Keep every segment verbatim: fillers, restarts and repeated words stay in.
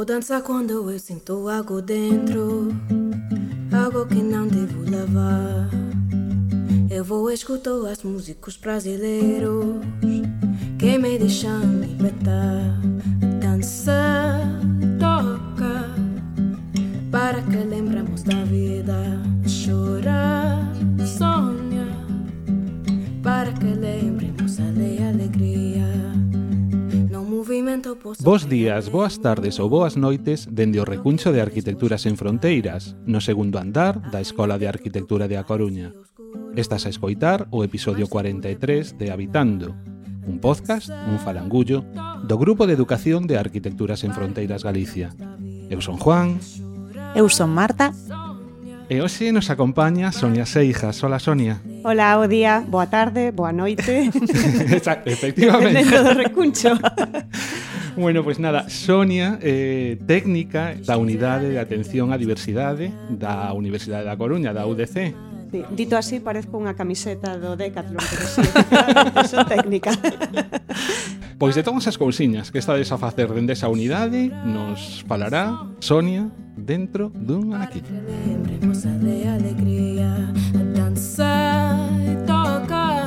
vou dançar quando eu sinto algo dentro, algo que não devo levar. Eu vou escutar as músicas brasileiros que me deixam libertar. Dança, toca, para que lembremos da vida. Chora, sonha, para que lembremos a alegria. No movimento posso... Bos días, boas tardes ou boas noites dende o Recuncho de Arquitectura Sen Fronteiras, no segundo andar da Escola de Arquitectura de A Coruña. Estás a escoitar o episodio cuarenta e tres de Habitando, un podcast, un falangullo, do Grupo de Educación de Arquitectura Sen Fronteiras Galicia. Eu son Juan. Eu son Marta. E hoxe nos acompaña Sonia Seijas. Hola, Sonia. Hola, bo día, boa tarde, boa noite. Efectivamente. Dentro do recuncho. Bueno, pois pues nada, Sonia, eh, técnica da Unidade de Atención á Diversidade da Universidade da Coruña, da U D C. Sí, dito así, parezco unha camiseta do Decathlon, pero sí, son técnica. Pois de todas as cousiñas que estades a facer dende esa unidade, nos falará Sonia dentro dunha aquí. Lembremos de alegría, dança e toca,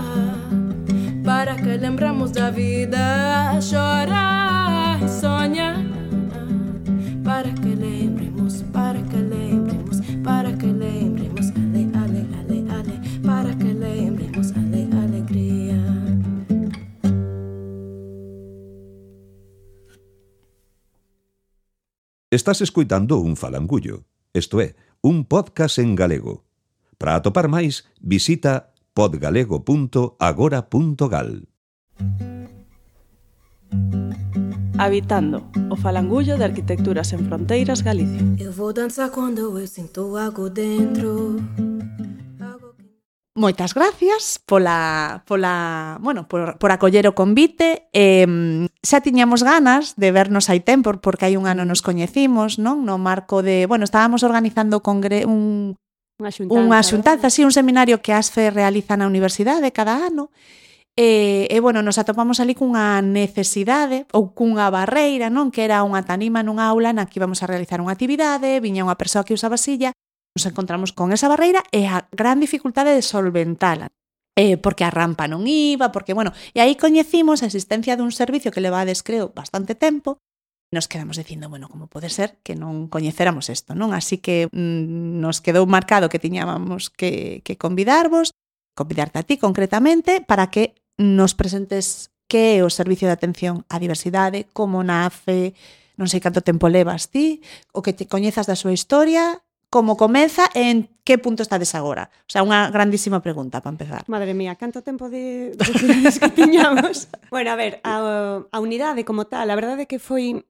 para que lembramos da vida. Chora e sonha, para que lembremos, para que lembremos, para que lembremos, ale, ale, ale, ale, para que lembremos, ale, alegría. Estás escoitando un falangullo, isto é, un podcast en galego. Para atopar máis, visita podgalego punto agora punto gal. Habitando, o falangullo de Arquitectura Sen Fronteiras Galicia. Eu vou dançar quando eu sinto algo dentro. Moitas gracias pola, pola, bueno, por, por acoller o convite. Eh, xa tiñamos ganas de vernos hai tempo, porque hai un ano nos coñecimos, non? No marco de, bueno, estábamos organizando congre, un, Unha xuntanza, unha xuntanza, sí, un seminario que ASFE realiza na universidade cada ano. E, e, bueno, nos atopamos ali cunha necesidade ou cunha barreira, non? Que era unha tanima nunha aula na que íbamos a realizar unha actividade, viña unha persoa que usaba silla. Nos encontramos con esa barreira e a gran dificultade de solventala. Eh, porque a rampa non iba, porque, bueno, e aí coñecimos a existencia dun servicio que levades, creo, bastante tempo. Nos quedamos dicindo, bueno, como pode ser que non coñecéramos isto, non? Así que mmm, nos quedou marcado que tiñábamos que, que convidarvos, convidarte a ti concretamente, para que nos presentes que é o Servicio de Atención á Diversidade, como nace, non sei canto tempo levas ti, o que te coñezas da súa historia, como comeza e en que punto estades agora? O sea, unha grandísima pregunta para empezar. Madre mía, canto tempo de, de que tiñamos. Bueno, a ver, a, a unidade como tal, a verdade é que foi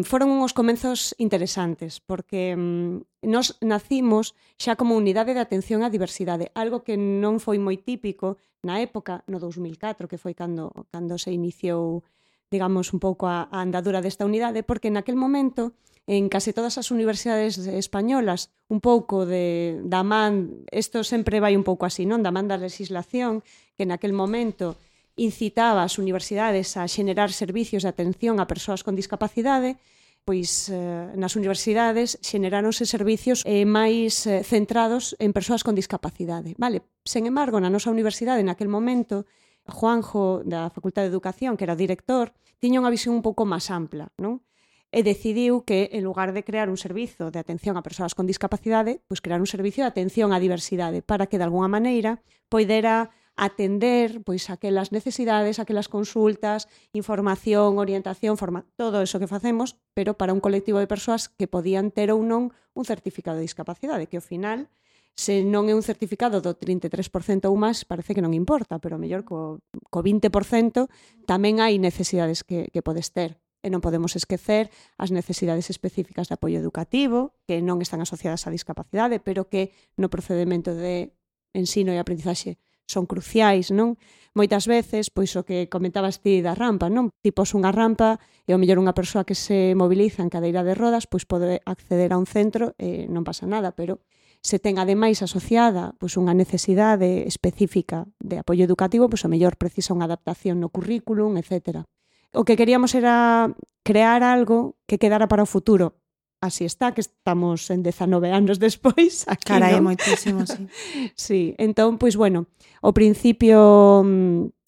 foron uns comenzos interesantes, porque um, nos nacimos xa como unidade de atención á diversidade, algo que non foi moi típico na época, no dous mil catro, que foi cando, cando se iniciou, digamos, un pouco a, a andadura desta unidade, porque naquel momento en case todas as universidades españolas, un pouco de, da man, isto sempre vai un pouco así, non? Da man da legislación, que naquel momento incitaba as universidades a xenerar servicios de atención a persoas con discapacidade, pois eh, nas universidades xeneráronse servicios eh, máis eh, centrados en persoas con discapacidade. Vale, sen embargo, na nosa universidade naquel momento, Juanjo, da Facultade de Educación, que era o director, tiña unha visión un pouco máis ampla, non? E decidiu que, en lugar de crear un servizo de atención a persoas con discapacidade, pois crear un servicio de atención á diversidade para que, de alguna maneira, poidera atender pois aquelas necesidades, aquelas consultas, información, orientación, forma, todo eso que facemos, pero para un colectivo de persoas que podían ter ou non un certificado de discapacidade, que ao final, se non é un certificado do trinta e tres por cento ou máis, parece que non importa, pero mellor co, co vinte por cento tamén hai necesidades que, que podes ter. E non podemos esquecer as necesidades específicas de apoio educativo, que non están asociadas á discapacidade, pero que no procedimento de ensino e aprendizaxe son cruciais, non? Moitas veces, pois o que comentabas ti da rampa, non? Tipos unha rampa e ao mellor unha persoa que se moviliza en cadeira de rodas, pois pode acceder a un centro e non pasa nada, pero se ten ademais asociada pois unha necesidade específica de apoio educativo, pois ao mellor precisa unha adaptación no currículum, etcétera. o que queríamos era crear algo que quedara para o futuro. Así está, que estamos en dezanove anos despois aquí, Carai, non? moitísimo, sí. Sí, entón, pois, bueno, ao principio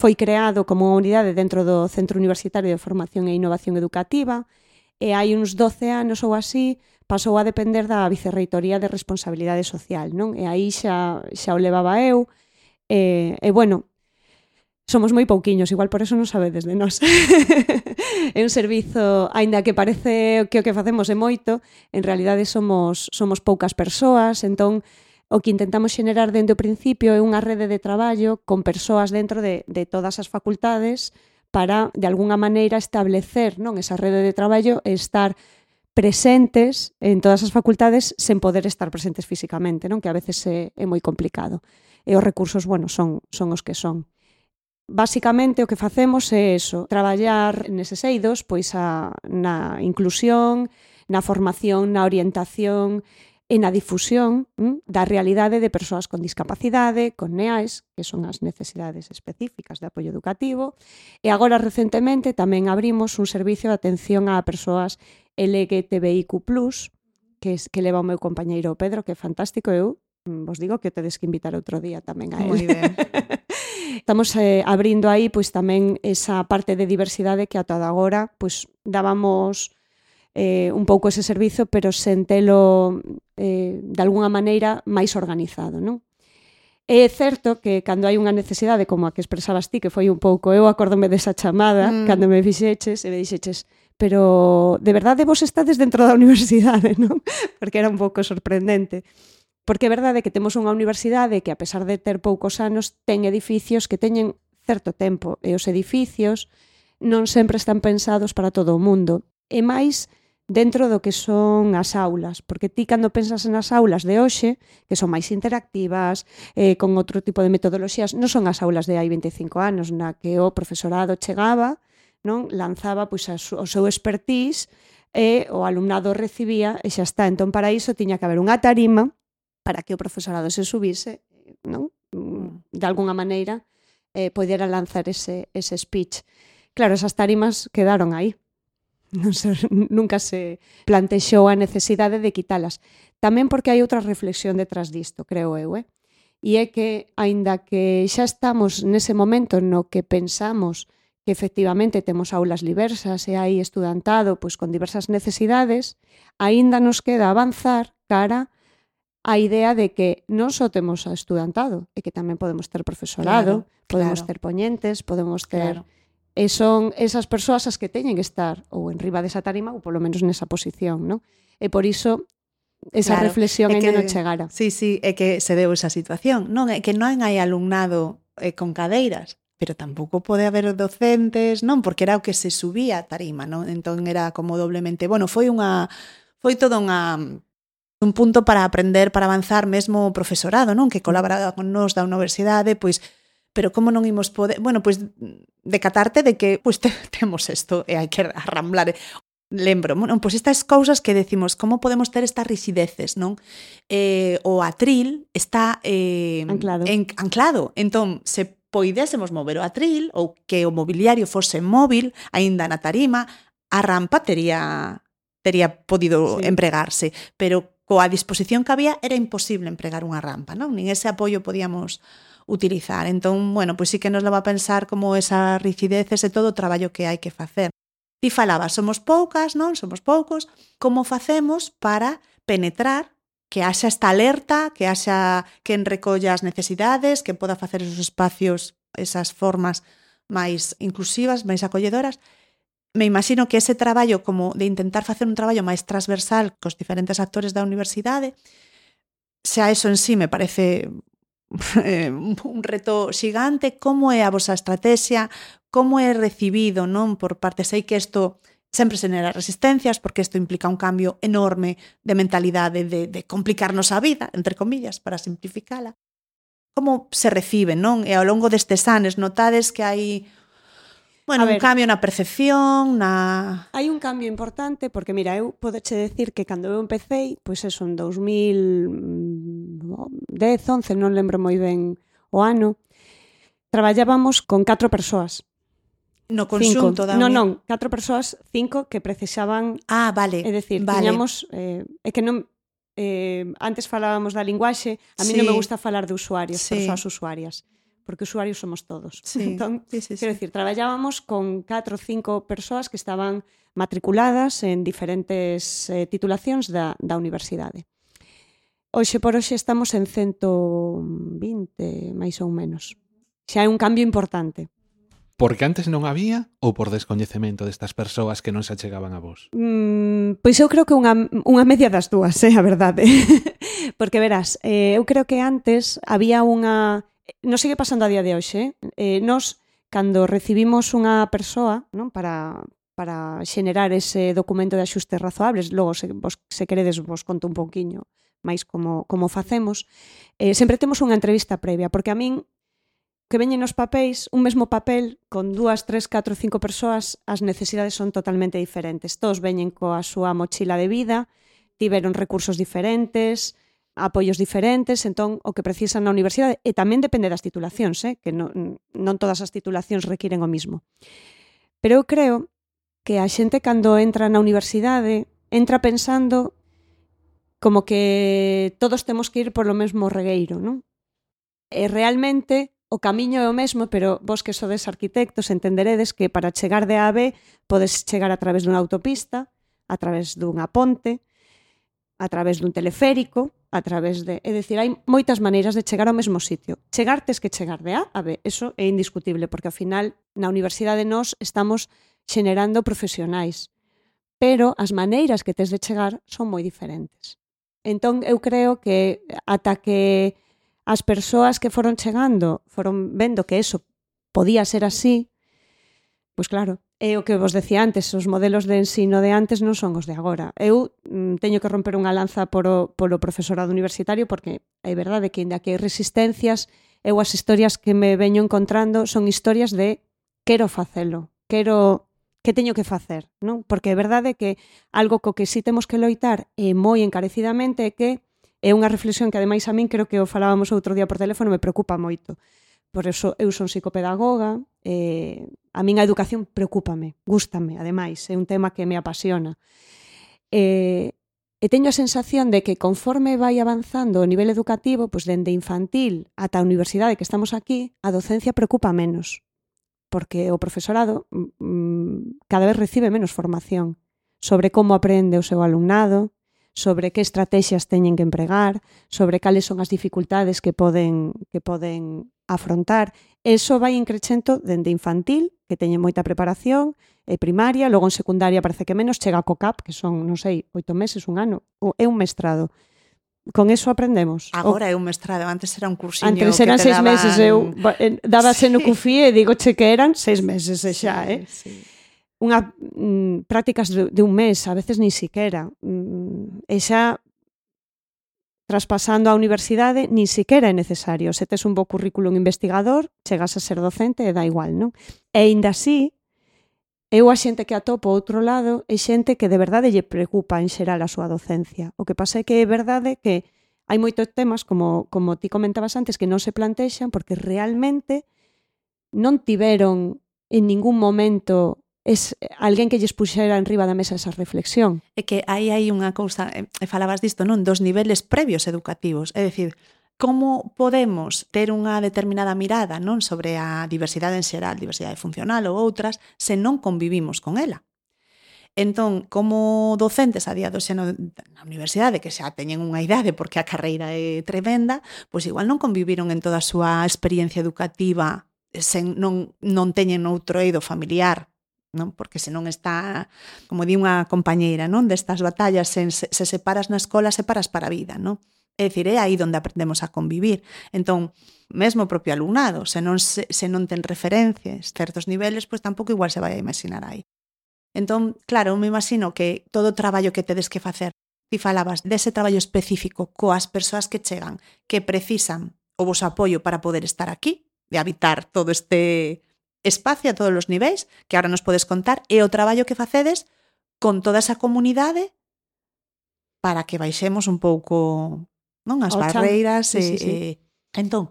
foi creado como unha unidade dentro do Centro Universitario de Formación e Innovación Educativa e hai uns doce anos ou así pasou a depender da Vicerreitoría de Responsabilidade Social, non? E aí xa, xa o levaba eu e, e bueno, somos moi pouquiños, igual por eso non sabedes de nós. É un servizo, aínda que parece que o que facemos é moito, en realidade somos, somos poucas persoas, entón o que intentamos xenerar dende o principio é unha rede de traballo con persoas dentro de, de todas as facultades para, de alguna maneira, establecer, non, esa rede de traballo e estar presentes en todas as facultades sen poder estar presentes físicamente, non, que a veces é, é moi complicado. E os recursos, bueno, son, son os que son. Basicamente o que facemos é eso, traballar neses eidos pois a, na inclusión, na formación, na orientación e na difusión hm, da realidade de persoas con discapacidade, con N E A Es, que son as necesidades específicas de apoio educativo, e agora recentemente tamén abrimos un servicio de atención a persoas L G T B I Q plus, que, es, que leva o meu compañeiro Pedro, que é fantástico, eu vos digo que tedes que invitar outro día tamén a él. Moi ben. Estamos eh, abrindo aí pois tamén esa parte de diversidade que ata agora pois dábamos eh, un pouco ese servizo, pero sen telo eh, de alguna maneira máis organizado, non? É certo que cando hai unha necesidade como a que expresabas ti, que foi un pouco, eu acórdome desa chamada, mm. cando me fixeches e me dixeches, pero de verdade vos estades dentro da universidade, non? Porque era un pouco sorprendente. Porque é verdade que temos unha universidade que, a pesar de ter poucos anos, ten edificios que teñen certo tempo, e os edificios non sempre están pensados para todo o mundo. E máis dentro do que son as aulas, porque ti cando pensas nas aulas de hoxe, que son máis interactivas, eh, con outro tipo de metodoloxías, non son as aulas de hai veinticinco anos, na que o profesorado chegaba, non, lanzaba pois, o seu expertise e o alumnado recibía e xa está. Entón, para iso tiña que haber unha tarima para que o profesorado se subise, non? De alguna maneira, eh, podera lanzar ese, ese speech. Claro, esas tarimas quedaron aí. Non se, nunca se plantexou a necesidade de quitalas. Tamén porque hai outra reflexión detrás disto, creo eu, eh? E é que, aínda que xa estamos nese momento no que pensamos que efectivamente temos aulas diversas e hai estudantado pois, con diversas necesidades, aínda nos queda avanzar cara a idea de que non só temos a estudantado, e que tamén podemos ter profesorado, claro, podemos claro. ter poñentes, podemos ter... Claro. E son esas persoas as que teñen que estar ou en riba desa tarima ou polo menos nesa posición, non? E por iso esa Claro, reflexión é ainda que, non chegara. Sí, sí, é que se deu esa situación. Non é que non hai alumnado eh, con cadeiras, pero tampouco pode haber docentes, non? Porque era o que se subía a tarima, non? Entón era como doblemente... Bueno, foi unha... Foi toda unha... un punto para aprender, para avanzar mesmo o profesorado, non? Que colaboraba con nós da universidade, pois, pero como non imos poder... Bueno, pois, decatarte de que, pois, te, temos isto e hai que arramblar. Lembro, bueno, pois estas cousas que decimos, como podemos ter estas rixideces, non? Eh, o atril está eh, anclado. En, anclado. Entón, se poidésemos mover o atril ou que o mobiliario fose móvil, aínda na tarima, a rampa tería tería podido sí. empregarse, pero coa disposición que había era imposible empregar unha rampa, non? Nin ese apoio podíamos utilizar. Entón, bueno, pois sí que nos leva a pensar como esa rigideces e todo o traballo que hai que facer. Ti falabas, somos poucas, non? Somos poucos. Como facemos para penetrar, que haxa esta alerta, que haxa quen recolla as necesidades, que poda facer esos espacios, esas formas máis inclusivas, máis acolledoras? Me imagino que ese traballo como de intentar facer un traballo máis transversal cos diferentes actores da universidade, xa eso en sí me parece eh, un reto xigante. Como é a vosa estrategia? Como é recibido, non? Por parte, sei que isto sempre xenera resistencias, porque isto implica un cambio enorme de mentalidade, de, de complicarnos a vida, entre comillas, para simplificala. Como se recibe, non? E ao longo destes anos notades que hai Bueno, ver, un cambio na percepción, na... Hai un cambio importante, porque, mira, eu podeche decir que cando eu empecé, pois eso, en dos mil dez, once, non lembro moi ben o ano, traballábamos con catro persoas. No conxunto cinco. da Non, uni- non, catro persoas, cinco que precisaban, Ah, vale. é dicir, vale. tiñamos, eh, é que non, eh, antes falábamos da linguaxe, a mí Sí. non me gusta falar de usuarios, Sí. persoas usuarias, porque usuarios somos todos. Sí. Entón, Sí, sí, quero sí. dicir, traballábamos con catro ou cinco persoas que estaban matriculadas en diferentes eh, titulacións da, da universidade. Hoxe por hoxe estamos en ciento vinte, máis ou menos. Xa é un cambio importante. Porque antes non había ou por descoñecemento destas persoas que non se achegaban a vos? Mm, pois eu creo que unha, unha media das dúas, é eh, a verdade. Porque verás, eh, eu creo que antes había unha... Non sigue pasando a día de hoxe, eh? Eh, nos, cando recibimos unha persoa, non, para, para xenerar ese documento de axustes razoables, logo, se, vos, se queredes, vos conto un pouquiño máis como, como facemos, eh, sempre temos unha entrevista previa, porque a min que veñen nos papéis, un mesmo papel con dúas, tres, catro, cinco persoas, as necesidades son totalmente diferentes. Todos veñen coa súa mochila de vida, tiveron recursos diferentes, apoios diferentes, entón o que precisan na universidade, e tamén depende das titulacións, eh? Que non, non todas as titulacións requiren o mismo. Pero eu creo que a xente cando entra na universidade entra pensando como que todos temos que ir polo mesmo regueiro, non? E realmente o camiño é o mesmo, pero vos que sodes arquitectos entenderedes que para chegar de A a B podes chegar a través dunha autopista, a través dunha ponte, a través dun teleférico, a través de... É dicir, hai moitas maneiras de chegar ao mesmo sitio. Chegar tes que chegar de A a B, eso é indiscutible, porque ao final na universidade nós estamos xenerando profesionais, pero as maneiras que tes de chegar son moi diferentes. Entón, eu creo que ata que as persoas que foron chegando foron vendo que eso podía ser así, pois claro, é o que vos decía antes, os modelos de ensino de antes non son os de agora. Eu mm, teño que romper unha lanza polo, polo profesorado universitario porque é verdade que ainda que hai resistencias, eu as historias que me veño encontrando son historias de quero facelo, quero que teño que facer, non? Porque é verdade que algo co que sí temos que loitar e moi encarecidamente é que é unha reflexión que ademais a min creo que o falábamos outro día por teléfono, me preocupa moito. Por eso eu son psicopedagoga, eh, a min a educación preocúpame, gústame, ademais, é un tema que me apasiona. Eh, e teño a sensación de que conforme vai avanzando o nivel educativo, pois dende infantil ata a universidade que estamos aquí, a docencia preocupa menos, porque o profesorado mm, cada vez recibe menos formación sobre como aprende o seu alumnado, sobre que estrategias teñen que empregar, sobre cales son as dificultades que poden que poden afrontar. Eso vai increchento dende infantil, que teñen moita preparación, e primaria, logo en secundaria parece que menos, chega a COCAP, que son, non sei, oito meses, un ano, ou é un mestrado. Con eso aprendemos. Agora o... é un mestrado, antes era un cursiño antes que eran te seis daban... meses, eu dábase Sí. no CUFIE e digo che que eran seis meses e xa, Sí, eh? sí. Unha mm, prácticas de, de un mes, a veces ni siquera. Mm, e xa traspasando a universidade, ni siquera é necesario. Se tes un bo currículum investigador, chegas a ser docente e dá igual, non? E ainda así, eu a xente que atopo outro lado é xente que de verdade lle preocupa en xeral a súa docencia. O que pasa é que é verdade que hai moitos temas, como, como ti comentabas antes, que non se plantexan porque realmente non tiveron en ningún momento es alguén que lles puxera en riba da mesa esa reflexión. É que aí hai unha cousa, e falabas disto, non? Dos niveles previos educativos, é dicir, como podemos ter unha determinada mirada, non, sobre a diversidade en xeral, diversidade funcional ou outras, se non convivimos con ela. Entón, como docentes a día do xeno na universidade, que xa teñen unha idade porque a carreira é tremenda, pois igual non conviviron en toda a súa experiencia educativa, sen, non, non teñen outro eido familiar, non? Porque se non está, como di unha compañeira, non, destas batallas, se, se separas na escola, separas para a vida, non? É dicir, é aí onde aprendemos a convivir. Entón, mesmo o propio alumnado, se non, se, se non ten referencias, certos niveles, pois tampouco igual se vai a imaginar aí. Entón, claro, me imagino que todo o traballo que tedes que facer, ti falabas dese traballo específico coas persoas que chegan, que precisan o voso apoio para poder estar aquí, de habitar todo este espacio a todos os niveis, que ahora nos podes contar, e o traballo que facedes con toda esa comunidade para que baixemos un pouco, non, as Ao chan. barreiras. Sí, e, sí, sí. e, entón,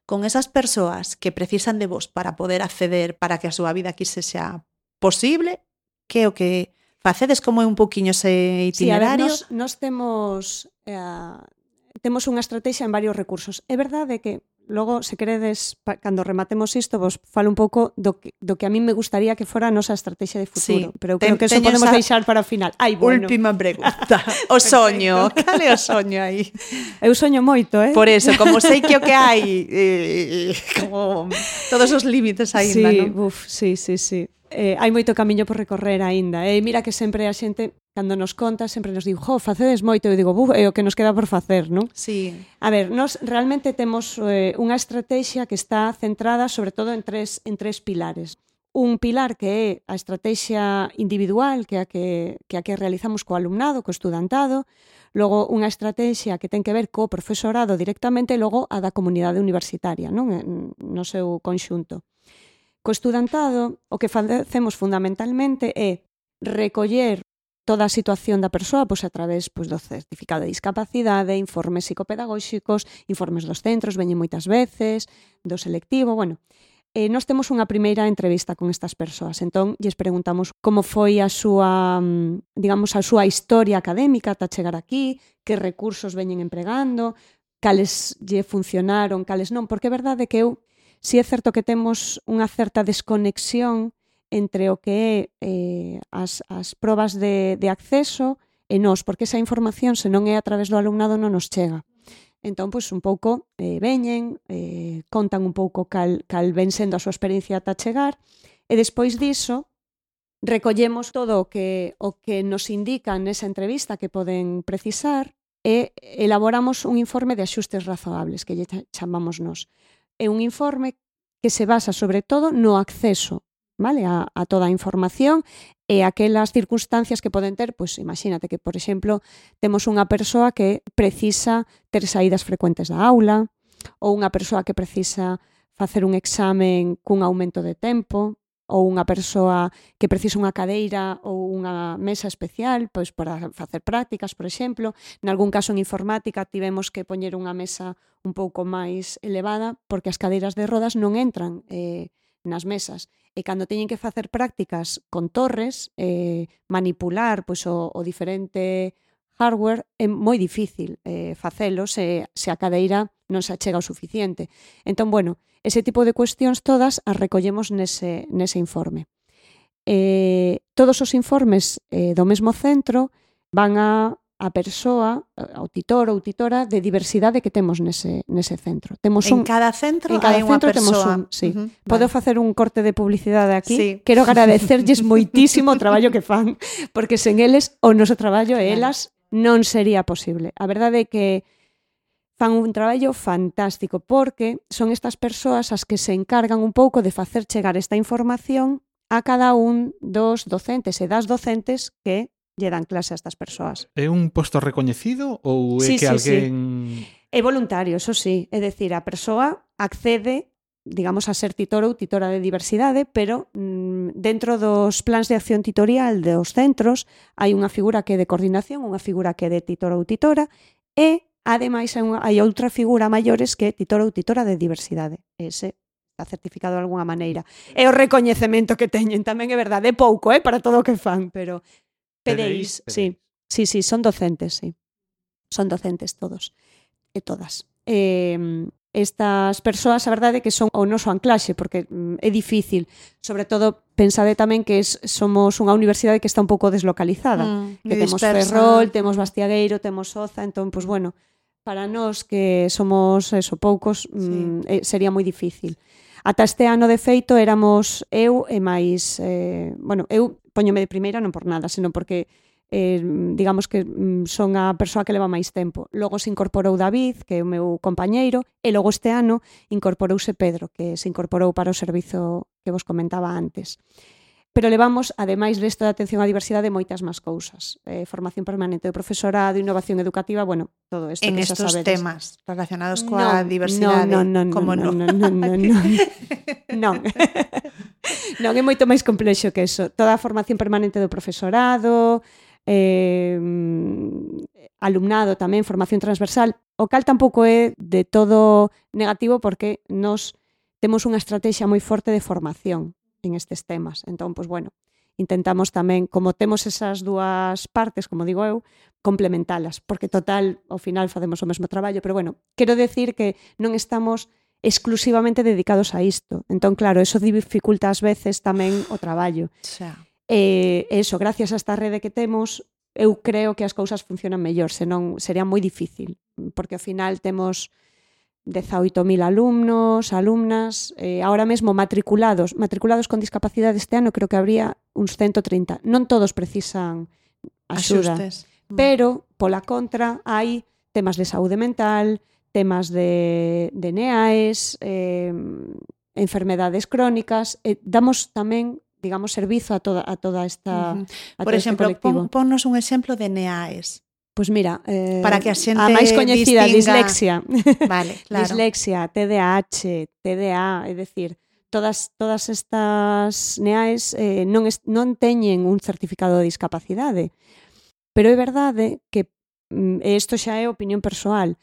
con esas persoas que precisan de vos para poder acceder para que a súa vida aquí se xa posible, que é o que facedes, como é un pouquiño ese itinerario? Sí, a ver, nos, nos temos eh, temos unha estrategia en varios recursos. É verdade que logo, se queredes, pa, cando rematemos isto, vos falo un pouco do que, do que a mí me gustaría que fora a nosa estrategia de futuro. Sí, pero eu creo que eso podemos deixar para o final. Ai, bueno. Última pregunta. O soño. Cal é o soño aí? Eu soño moito, eh? Por eso, como sei que o que hai, eh, como todos os límites aínda, sí, non? Uf, sí, sí, sí. Eh, hai moito camiño por recorrer aínda. E eh, mira que sempre a xente, cando nos conta, sempre nos digo, jo, facedes moito. Eu digo, buf, é o que nos queda por facer, non? Sí. A ver, nos realmente temos eh, unha estrategia que está centrada sobre todo en tres, en tres pilares. Un pilar que é a estrategia individual, que é a que, que, a que realizamos co alumnado, co estudantado. Logo, unha estrategia que ten que ver co profesorado directamente, e logo a da comunidade universitaria, non? No seu conxunto. Co estudantado, o que facemos fundamentalmente é recoller toda a situación da persoa pois, a través pois, do certificado de discapacidade, informes psicopedagóxicos, informes dos centros, veñen moitas veces, do selectivo, bueno. Eh, nós temos unha primeira entrevista con estas persoas, entón lles preguntamos como foi a súa, digamos, a súa historia académica ata chegar aquí, que recursos veñen empregando, cales lle funcionaron, cales non, porque é verdade que eu si é certo que temos unha certa desconexión entre o que é eh, as, as probas de, de acceso e nós, porque esa información, se non é a través do alumnado, non nos chega. Entón, pois, un pouco eh, veñen, eh, contan un pouco cal, cal ven sendo a súa experiencia ata chegar, e despois diso, recollemos todo o que, o que nos indican nesa entrevista que poden precisar e elaboramos un informe de axustes razoables, que lle chamamos nós. É un informe que se basa sobre todo no acceso, vale, a, a toda a información e aquelas circunstancias que poden ter, pois imagínate que, por exemplo, temos unha persoa que precisa ter saídas frecuentes da aula ou unha persoa que precisa facer un examen cun aumento de tempo ou unha persoa que precisa unha cadeira ou unha mesa especial pois para facer prácticas, por exemplo. Nalgún caso en informática tivemos que poñer unha mesa un pouco máis elevada porque as cadeiras de rodas non entran eh, nas mesas. E cando teñen que facer prácticas con torres, eh, manipular pois, o, o diferente hardware é moi difícil eh, facelo se, se a cadeira non se achega o suficiente. Entón, bueno, ese tipo de cuestións todas as recollemos nese, nese informe. Eh, todos os informes eh, do mesmo centro van a a persoa, ao titor ou titora de diversidade que temos nese, nese centro. Temos en un, cada centro en cada hai centro unha temos persoa. un, sí. Uh-huh, Podo vale. facer un corte de publicidade aquí. Sí. Quero agradecerlles moitísimo o traballo que fan, porque sen eles o noso traballo e elas non sería posible. A verdade é que fan un traballo fantástico porque son estas persoas as que se encargan un pouco de facer chegar esta información a cada un dos docentes e das docentes que lle dan clase a estas persoas. É un posto recoñecido ou é Sí, que sí, alguén... sí. É voluntario, eso sí. É dicir, a persoa accede, digamos, a ser titor ou titora de diversidade, pero mmm, dentro dos plans de acción titorial dos centros hai unha figura que é de coordinación, unha figura que é de titor ou titora, e, ademais, hai, unha, hai outra figura maiores que é titor ou titora de diversidade. Ese está certificado de alguna maneira. É o recoñecemento que teñen, tamén é verdade. É pouco, eh, para todo o que fan, pero... P D Is, sí, sí, sí, son docentes, sí. Son docentes todos e todas. Eh, estas persoas, a verdade, que son o noso anclaxe, porque mm, é difícil. Sobre todo, pensade tamén que es, somos unha universidade que está un pouco deslocalizada. Mm, que temos dispersa. Ferrol, temos Bastiagueiro, temos Oza, entón, pues, bueno, para nós que somos eso, poucos, sí. mm, eh, sería moi difícil. Ata este ano, de feito, éramos eu e máis... Eh, bueno, eu póñome de primeira non por nada, senón porque eh, digamos que mm, son a persoa que leva máis tempo. Logo se incorporou David, que é o meu compañeiro, e logo este ano incorporouse Pedro, que se incorporou para o servizo que vos comentaba antes. Pero levamos, ademais desta de atención á diversidade, moitas máis cousas. Eh, formación permanente do profesorado, innovación educativa, bueno, todo isto en que xa estos sabedes. temas relacionados coa no, diversidade. No, no, no, como no, no. no, no, no, no. Non. Non, é moito máis complexo que eso. Toda a formación permanente do profesorado, eh, alumnado tamén, formación transversal, o cal tampouco é de todo negativo porque nos temos unha estrategia moi forte de formación en estes temas. Entón, pois, bueno, intentamos tamén, como temos esas dúas partes, como digo eu, complementalas, porque total, ao final facemos o mesmo traballo, pero bueno, quero decir que non estamos exclusivamente dedicados a isto. Entón, claro, eso dificulta ás veces tamén o traballo. Xa. E eso, gracias a esta rede que temos, eu creo que as cousas funcionan mellor, senón sería moi difícil, porque ao final temos dezaoito mil alumnos, alumnas, eh, ahora mesmo matriculados, matriculados con discapacidade este ano, creo que habría uns ciento trinta. Non todos precisan axuda, Axustes. pero, pola contra, hai temas de saúde mental, temas de, de N E A Es, eh, enfermedades crónicas, e damos tamén, digamos, servizo a toda, a toda esta, Uh-huh. a Por todo este exemplo, colectivo. pon, ponnos un exemplo de N E A Es. Pois mira, eh, Para que a xente a máis coñecida, distinga- dislexia. Vale, claro. Dislexia, T D A H, T D A, é dicir, todas todas estas N E A Es eh, non, es, non teñen un certificado de discapacidade. Pero é verdade que, e isto xa é opinión persoal,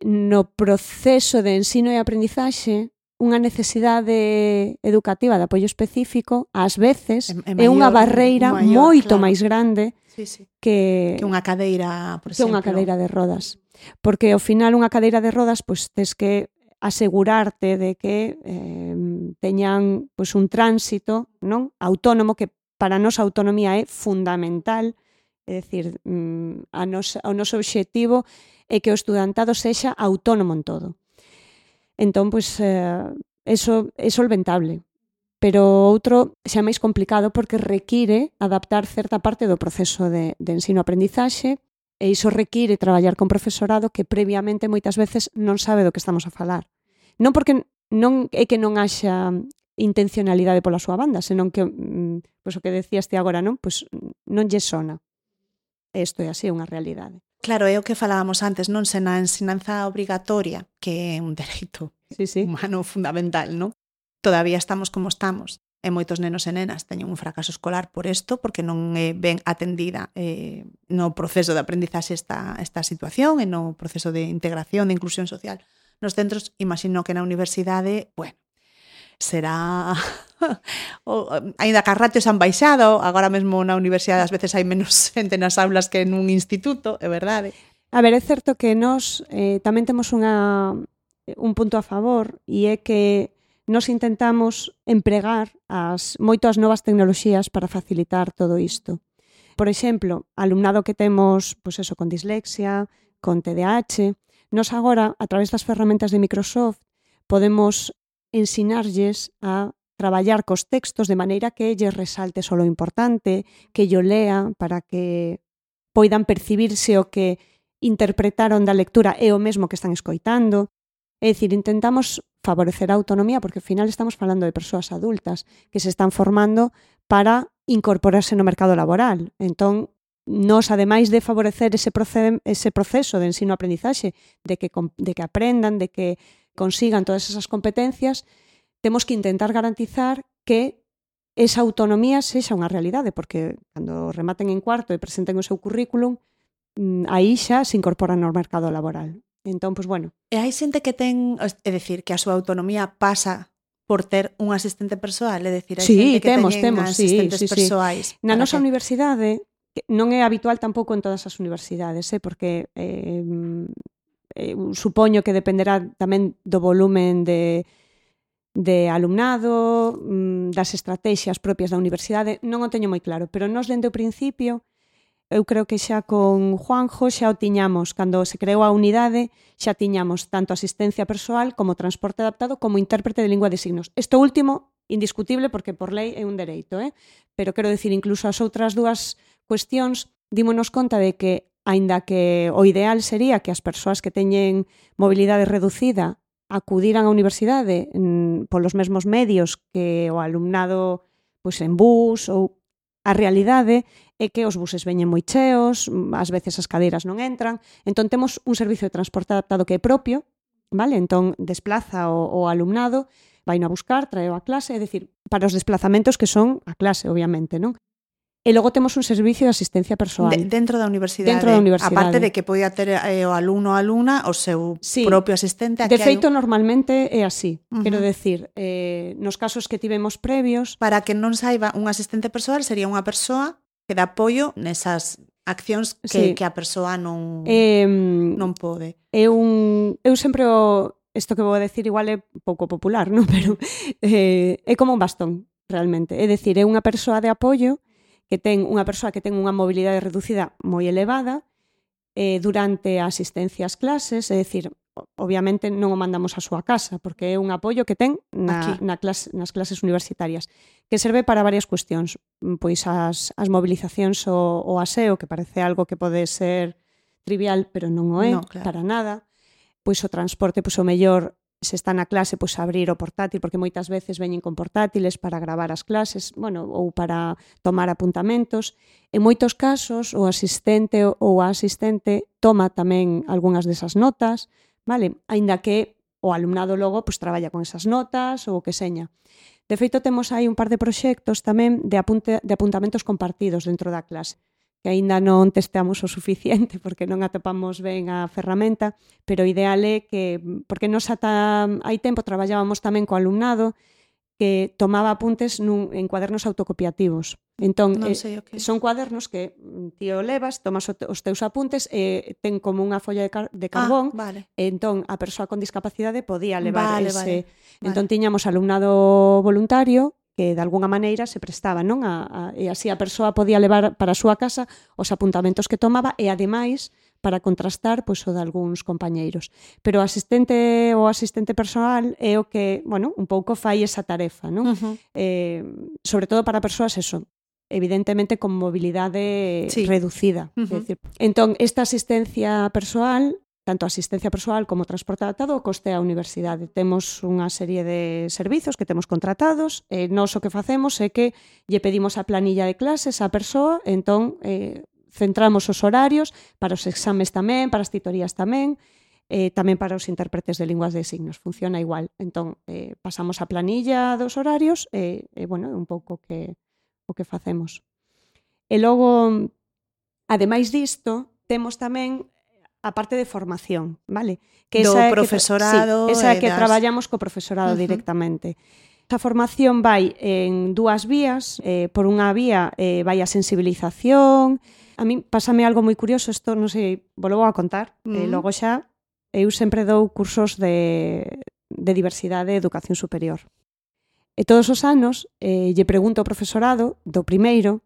no proceso de ensino e aprendizaxe, unha necesidade educativa de apoio específico, ás veces, É- é é unha maior, barreira maior, moito claro. máis grande Sí, sí. que, Que unha cadeira, por que exemplo. unha cadeira de rodas. Porque ao final unha cadeira de rodas, pois tes que asegurarte de que eh, teñan pois un tránsito, non, autónomo, que para a nosa autonomía é fundamental. É dicir, mm, a nosa, o noso obxectivo é que o estudantado sexa autónomo en todo. Entón, pois, eh, eso é solventable. Pero outro xa é máis complicado porque require adaptar certa parte do proceso de, de ensino-aprendizaxe e iso require traballar con profesorado que previamente moitas veces non sabe do que estamos a falar. Non porque non é que non haxa intencionalidade pola súa banda, senón que, mm, pois o que decías ti agora, non? Pois non lle sona. Isto é así, unha realidade. Claro, é o que falábamos antes, non? Se na ensinanza obrigatoria, que é un dereito Sí, sí. humano fundamental, non? Todavía estamos como estamos. E moitos nenos e nenas teñen un fracaso escolar por isto, porque non é ben atendida eh, no proceso de aprendizaxe esta, esta situación e no proceso de integración, de inclusión social nos centros. Imagino que na universidade, bueno, será o, aínda que as ratios han baixado, agora mesmo na universidade ás veces hai menos xente nas aulas que nun instituto, é verdade. A ver, é certo que nós eh, tamén temos unha, un punto a favor e é que nos intentamos empregar as moitas novas tecnoloxías para facilitar todo isto. Por exemplo, alumnado que temos, pois eso, con dislexia, con T D A H, nos agora, a través das ferramentas de Microsoft, podemos ensinarlles a traballar cos textos de maneira que lles resalte só lo importante, que yo lea para que poidan percibirse o que interpretaron da lectura é o mesmo que están escoitando. É dicir, intentamos favorecer a autonomía porque ao final estamos falando de persoas adultas que se están formando para incorporarse no mercado laboral. Entón, nos, ademais de favorecer ese, proce- ese proceso de ensino-aprendizaxe, de que, de que aprendan, de que consigan todas esas competencias, temos que intentar garantizar que esa autonomía sexa unha realidade, porque cando rematen en cuarto e presenten o seu currículum, aí xa se incorporan no mercado laboral. Entón, pois, bueno. E hai xente que ten, é dicir, que a súa autonomía pasa por ter un asistente persoal, é dicir, hai sí, xente que temos, teñen temos, asistentes sí, sí, persoais. Sí. Na Para nosa que... universidade, que non é habitual tampouco en todas as universidades, eh, porque eh, eh, supoño que dependerá tamén do volumen de, de alumnado, das estrategias propias da universidade, non o teño moi claro, pero nós dende o principio, eu creo que xa con Juanjo xa o tiñamos, cando se creou a unidade, xa tiñamos tanto asistencia persoal como transporte adaptado como intérprete de lingua de signos. Isto último, indiscutible, porque por lei é un dereito, eh? Pero quero dicir, incluso as outras dúas cuestións, dímonos conta de que, aínda que o ideal sería que as persoas que teñen mobilidade reducida acudiran á universidade mm, polos mesmos medios que o alumnado pois, en bus, ou a realidade é que os buses veñen moi cheos, ás veces as cadeiras non entran, entón temos un servicio de transporte adaptado que é propio, vale? Entón desplaza o, o alumnado, vai a buscar, traeo a clase, é dicir, para os desplazamentos que son a clase, obviamente, non? E logo temos un servicio de asistencia persoal. De, dentro da universidade. Dentro da universidade. Aparte de que podía ter eh, o alumno ou alumna o seu sí. propio asistente. De feito, un... normalmente é así. Uh -huh. Quero decir, eh, nos casos que tivemos previos... Para que non saiba, un asistente persoal sería unha persoa que dá apoio nesas accións que, sí. que a persoa non, eh, non pode. É un... Eu sempre o... Isto que vou a decir igual é pouco popular, non? Pero eh, é como un bastón, realmente. É dicir, é unha persoa de apoio que ten unha persoa que ten unha mobilidade reducida moi elevada eh, durante a asistencia ás clases, é dicir, obviamente non o mandamos á súa casa, porque é un apoio que ten na, na clase, nas clases universitarias, que serve para varias cuestións, pois as, as movilizacións o, o aseo, que parece algo que pode ser trivial, pero non o é, no, claro. para nada, pois o transporte, pois o mellor, se está na clase, pois abrir o portátil, porque moitas veces veñen con portátiles para gravar as clases, bueno, ou para tomar apuntamentos. En moitos casos, o asistente ou a asistente toma tamén algunhas desas notas, vale? Aínda que o alumnado logo pois traballa con esas notas ou o que seña. De feito, temos aí un par de proxectos tamén de, apunte, de apuntamentos compartidos dentro da clase, que aínda non testeamos o suficiente porque non atopamos ben a ferramenta, pero o ideal é que, porque nos ata hai tempo traballábamos tamén co alumnado que tomaba apuntes nun, en cuadernos autocopiativos. Entón, non eh, okay. son cuadernos que ti o levas, tomas os teus apuntes e ten como unha folla de, car de carbón, ah, vale. e entón a persoa con discapacidade podía levar vale, ese... Vale. Entón tiñamos alumnado voluntario que de alguna maneira se prestaba, non? A, a, e así a persoa podía levar para a súa casa os apuntamentos que tomaba e, ademais, para contrastar pois, o de algúns compañeiros. Pero o asistente ou asistente persoal é o que, bueno, un pouco fai esa tarefa, non? Uh-huh. eh, sobre todo para persoas, eso, evidentemente con mobilidade sí. reducida. Uh-huh. É dicir, entón, esta asistencia persoal, tanto asistencia persoal como transporte adaptado, costea a universidade. Temos unha serie de servizos que temos contratados, e nós o que facemos é que lle pedimos a planilla de clases á persoa, entón eh, centramos os horarios para os exames tamén, para as titorías tamén, eh, tamén para os intérpretes de linguas de signos, funciona igual. Entón, eh, pasamos a planilla dos horarios e, eh, bueno, é un pouco que, o que facemos. E logo, ademais disto, temos tamén a parte de formación, vale? Que do esa é profesorado. Que, sí, esa é que das... traballamos co profesorado uh-huh. directamente. Esa formación vai en dúas vías. Eh, por unha vía eh, vai a sensibilización. A mí pásame algo moi curioso, isto non sei, vou a contar, uh-huh. eh, logo xa eu sempre dou cursos de, de diversidade e educación superior. E todos os anos eh, lle pregunto ao profesorado do primeiro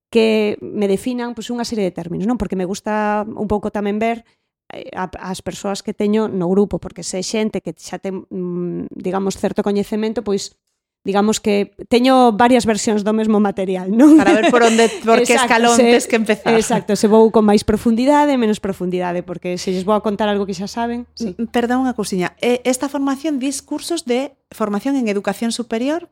que me definan pois, unha serie de términos, non? Porque me gusta un pouco tamén ver eh, a, as persoas que teño no grupo, porque se xente que xa ten, mm, digamos, certo coñecemento, pois, digamos que teño varias versións do mesmo material, non? Para ver por onde, por que escalón tes que empezar. Exacto, se vou con máis profundidade, menos profundidade, porque se lles vou a contar algo que xa saben... Sí. Perdón unha cousiña, esta formación dis cursos de formación en educación superior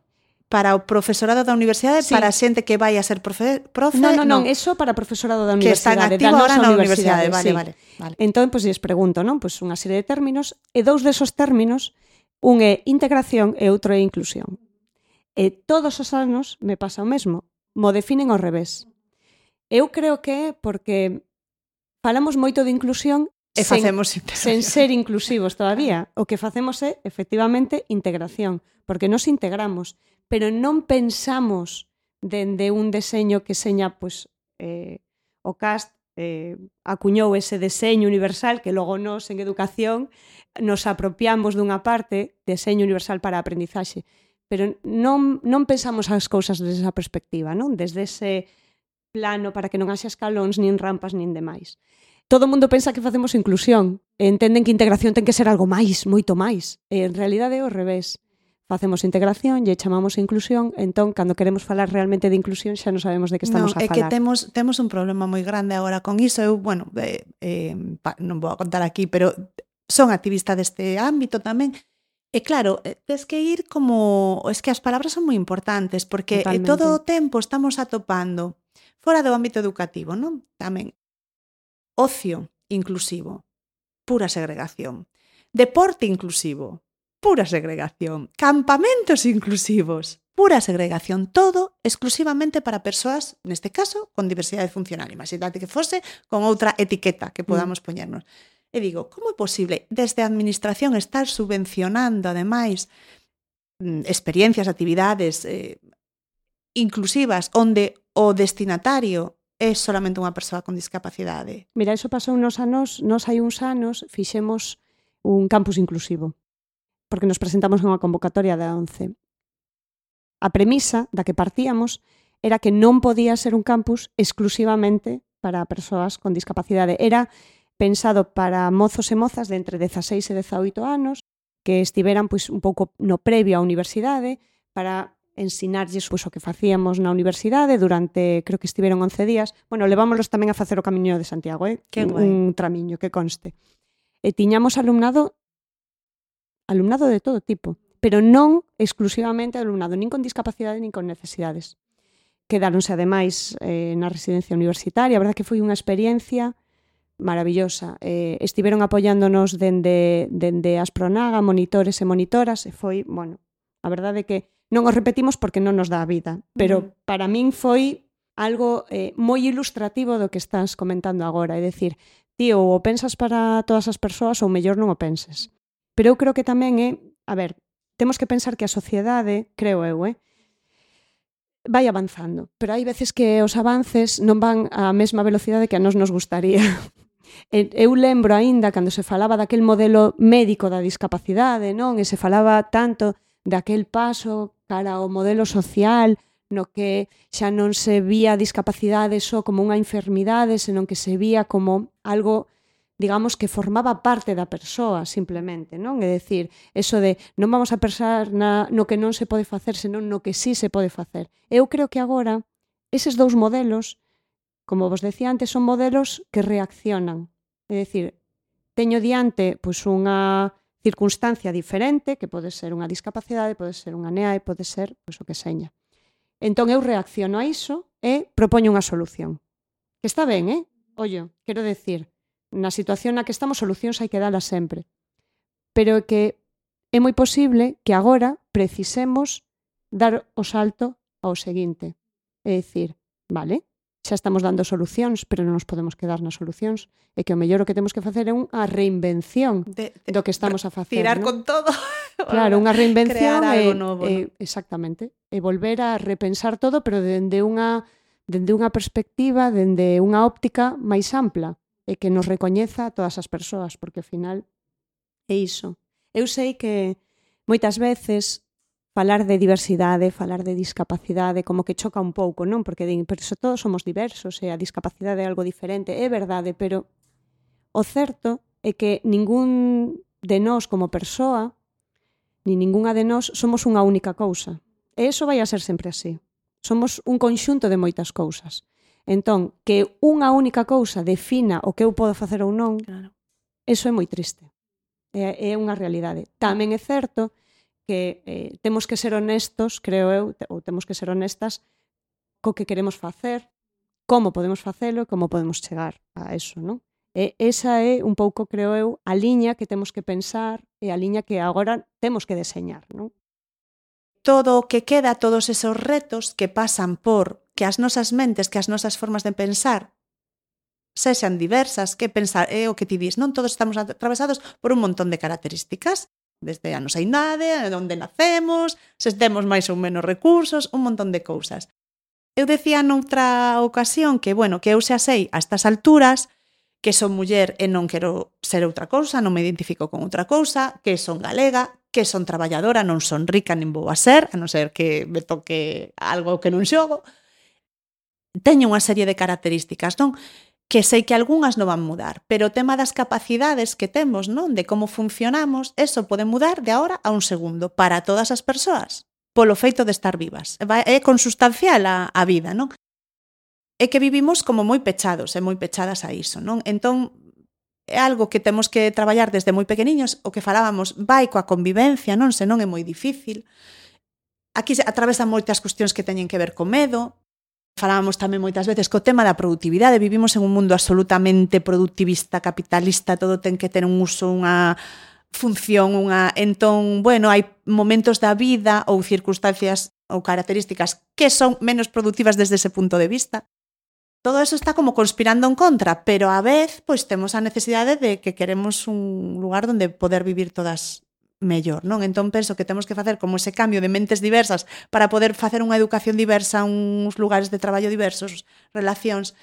para o profesorado da universidade, sí. Para a xente que vai a ser profe, profe non, non, non, no. eso para profesorado da universidade, universidade, que están activo ahora na universidade, vale, sí. vale, vale. Entón, pois, pues, lles pregunto, non? Pois pues, unha serie de términos, e dous desos términos, un é integración e outro é inclusión. E todos os anos me pasa o mesmo, mo definen ao revés. Eu creo que é porque falamos moito de inclusión e sen, facemos sen ser inclusivos todavía. O que facemos é, efectivamente, integración, porque nos integramos, pero non pensamos dende un deseño que seña pues, eh, o C A S T eh, acuñou ese deseño universal que logo nos en educación nos apropiamos dunha parte, deseño universal para a aprendizaxe, pero non, non pensamos as cousas desde esa perspectiva, non? Desde ese plano para que non haxa escalóns, nin rampas, nin demais. Todo o mundo pensa que facemos inclusión, e entenden que integración ten que ser algo máis, moito máis, e en realidade é o revés. Facemos integración, lle chamamos inclusión, entón, cando queremos falar realmente de inclusión, xa non sabemos de que estamos no, a falar. É que temos, temos un problema moi grande agora con iso. Eu, bueno, eh, eh, pa, non vou a contar aquí, pero son activista deste ámbito tamén. E claro, tes que ir como... Es que as palabras son moi importantes, porque Totalmente. Todo o tempo estamos atopando, fora do ámbito educativo, non? Tamén, ocio inclusivo, pura segregación. Deporte inclusivo, pura segregación. Campamentos inclusivos, pura segregación, todo exclusivamente para persoas, neste caso, con diversidade funcional. Imagínate que fose con outra etiqueta que podamos mm. poñernos. E digo, como é posible desde a administración estar subvencionando, ademais, experiencias, actividades eh, inclusivas, onde o destinatario é solamente unha persoa con discapacidade? Mira, iso pasou nos anos, nos hai uns anos, fixemos un campus inclusivo, porque nos presentamos en unha convocatoria da once. A premisa da que partíamos era que non podía ser un campus exclusivamente para persoas con discapacidade. Era pensado para mozos e mozas de entre dezaseis e dezaoito anos que estiveran pois, un pouco no previo á universidade para ensinarlles pois, o que facíamos na universidade durante, creo que estiveron once días. Bueno, levámoslos tamén a facer o Camiño de Santiago, eh? Que un, un tramiño, que conste. E tiñamos alumnado alumnado de todo tipo, pero non exclusivamente alumnado nin con discapacidade nin con necesidades. Quedáronse, ademais, eh, na residencia universitaria. A verdade que foi unha experiencia maravillosa. Eh, estiveron apoiándonos dende, dende Aspronaga, monitores e monitoras, e foi, bueno, a verdade que non o repetimos porque non nos dá a vida, pero uh-huh. para min foi algo eh, moi ilustrativo do que estás comentando agora, é dicir, tío, ou pensas para todas as persoas ou mellor non o penses. Pero eu creo que tamén é, a ver, temos que pensar que a sociedade, creo eu, eh, vai avanzando, pero hai veces que os avances non van á mesma velocidade que a nos nos gustaría. Eu lembro aínda cando se falaba daquel modelo médico da discapacidade, non? E se falaba tanto daquel paso cara ao modelo social no que xa non se vía a discapacidade só como unha enfermidade, senón que se vía como algo, digamos, que formaba parte da persoa, simplemente, non? É dicir, eso de non vamos a pensar na, no que non se pode facer, senón no que sí se pode facer. Eu creo que agora, eses dous modelos, como vos decía antes, son modelos que reaccionan. É dicir, teño diante pois, unha circunstancia diferente, que pode ser unha discapacidade, pode ser unha N E A E, pode ser pois, o que seña. Entón eu reacciono a iso e propoño unha solución. Que está ben, eh? Ollo, quero decir, na situación na que estamos, solucións hai que dalas sempre. Pero que é moi posible que agora precisemos dar o salto ao seguinte. É dicir, vale, xa estamos dando solucións, pero non nos podemos quedar nas solucións. E que o mellor o que temos que facer é unha reinvención de, de, do que estamos a facer. Tirar, ¿no? con todo. Claro, unha reinvención e, novo, e, ¿no? Exactamente. E volver a repensar todo, pero dende unha, dende unha perspectiva, dende unha óptica máis ampla, e que nos recoñeza a todas as persoas, porque ao final é iso. Eu sei que moitas veces falar de diversidade, falar de discapacidade, como que choca un pouco, non? Porque din, pero se todos somos diversos e a discapacidade é algo diferente. É verdade, pero o certo é que ningún de nós como persoa, ni ningunha de nós, somos unha única cousa. E iso vai a ser sempre así. Somos un conxunto de moitas cousas. Entón, que unha única cousa defina o que eu podo facer ou non, claro. Eso é moi triste. É, é unha realidade. Tamén é certo que eh, temos que ser honestos, creo eu, ou temos que ser honestas co que queremos facer, como podemos facelo e como podemos chegar a eso, non? E esa é un pouco, creo eu, a liña que temos que pensar e a liña que agora temos que deseñar, non? Todo o que queda, todos esos retos que pasan por que as nosas mentes, que as nosas formas de pensar sexan diversas, que pensar é o que ti dis, non? Todos estamos atravesados por un montón de características, desde a nosa idade, onde nacemos, se temos máis ou menos recursos, un montón de cousas. Eu decía noutra ocasión que, bueno, que eu xa sei a estas alturas que son muller e non quero ser outra cousa, non me identifico con outra cousa, que son galega, que son traballadora, non son rica nin vou a ser, a non ser que me toque algo que non xogo. Teño unha serie de características, non? Que sei que algunhas non van mudar, pero o tema das capacidades que temos, non? De como funcionamos, eso pode mudar de agora a un segundo para todas as persoas, polo feito de estar vivas. É consustancial a, a vida, non? É que vivimos como moi pechados e moi pechadas a iso, non? Entón, é algo que temos que traballar desde moi pequeniños, o que falábamos, vai coa convivencia, non? Senón é moi difícil. Aquí se atravesan moitas cuestións que teñen que ver co medo. Falábamos tamén moitas veces co tema da productividade. Vivimos en un mundo absolutamente productivista, capitalista, todo ten que ter un uso, unha función, unha... Entón, bueno, hai momentos da vida ou circunstancias ou características que son menos productivas desde ese punto de vista. Todo eso está como conspirando en contra, pero a vez pois temos a necesidade de que queremos un lugar onde poder vivir todas mellor, non? Entón penso que temos que facer como ese cambio de mentes diversas para poder facer unha educación diversa, uns lugares de traballo diversos, relacións,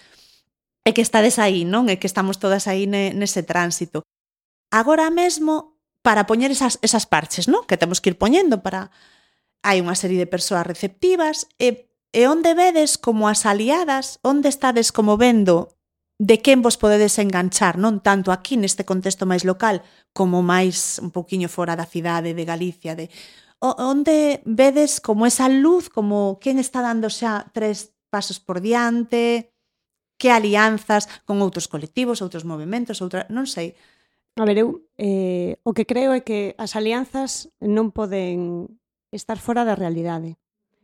e que estades aí, non? E que estamos todas aí nese tránsito. Agora mesmo, para poñer esas, esas parches, non? Que temos que ir poñendo para... Hai unha serie de persoas receptivas e, e onde vedes como as aliadas, onde estades como vendo de quen vos podedes enganchar, non tanto aquí neste contexto máis local como máis un pouquiño fora da cidade de Galicia, de onde vedes como esa luz, como quen está dando xa tres pasos por diante, que alianzas con outros colectivos, outros movimentos, outra, non sei. A ver, eu eh, o que creo é que as alianzas non poden estar fora da realidade.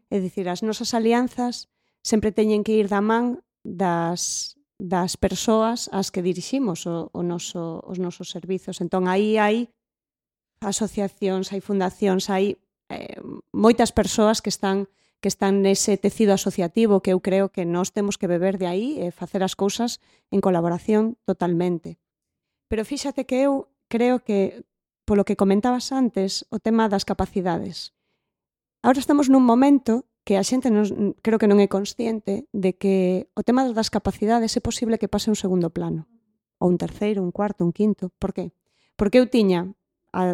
É dicir, as nosas alianzas sempre teñen que ir da man das das persoas ás que diriximos o, o noso, os nosos servizos. Entón, aí hai asociacións, hai fundacións, hai eh, moitas persoas que están que están nese tecido asociativo que eu creo que nós temos que beber de aí e facer as cousas en colaboración totalmente. Pero fíxate que eu creo que, polo que comentabas antes, o tema das capacidades. Agora estamos nun momento que a xente non, creo que non é consciente de que o tema das capacidades é posible que pase un segundo plano, ou un terceiro, un cuarto, un quinto. Por qué? Porque eu tiña, a,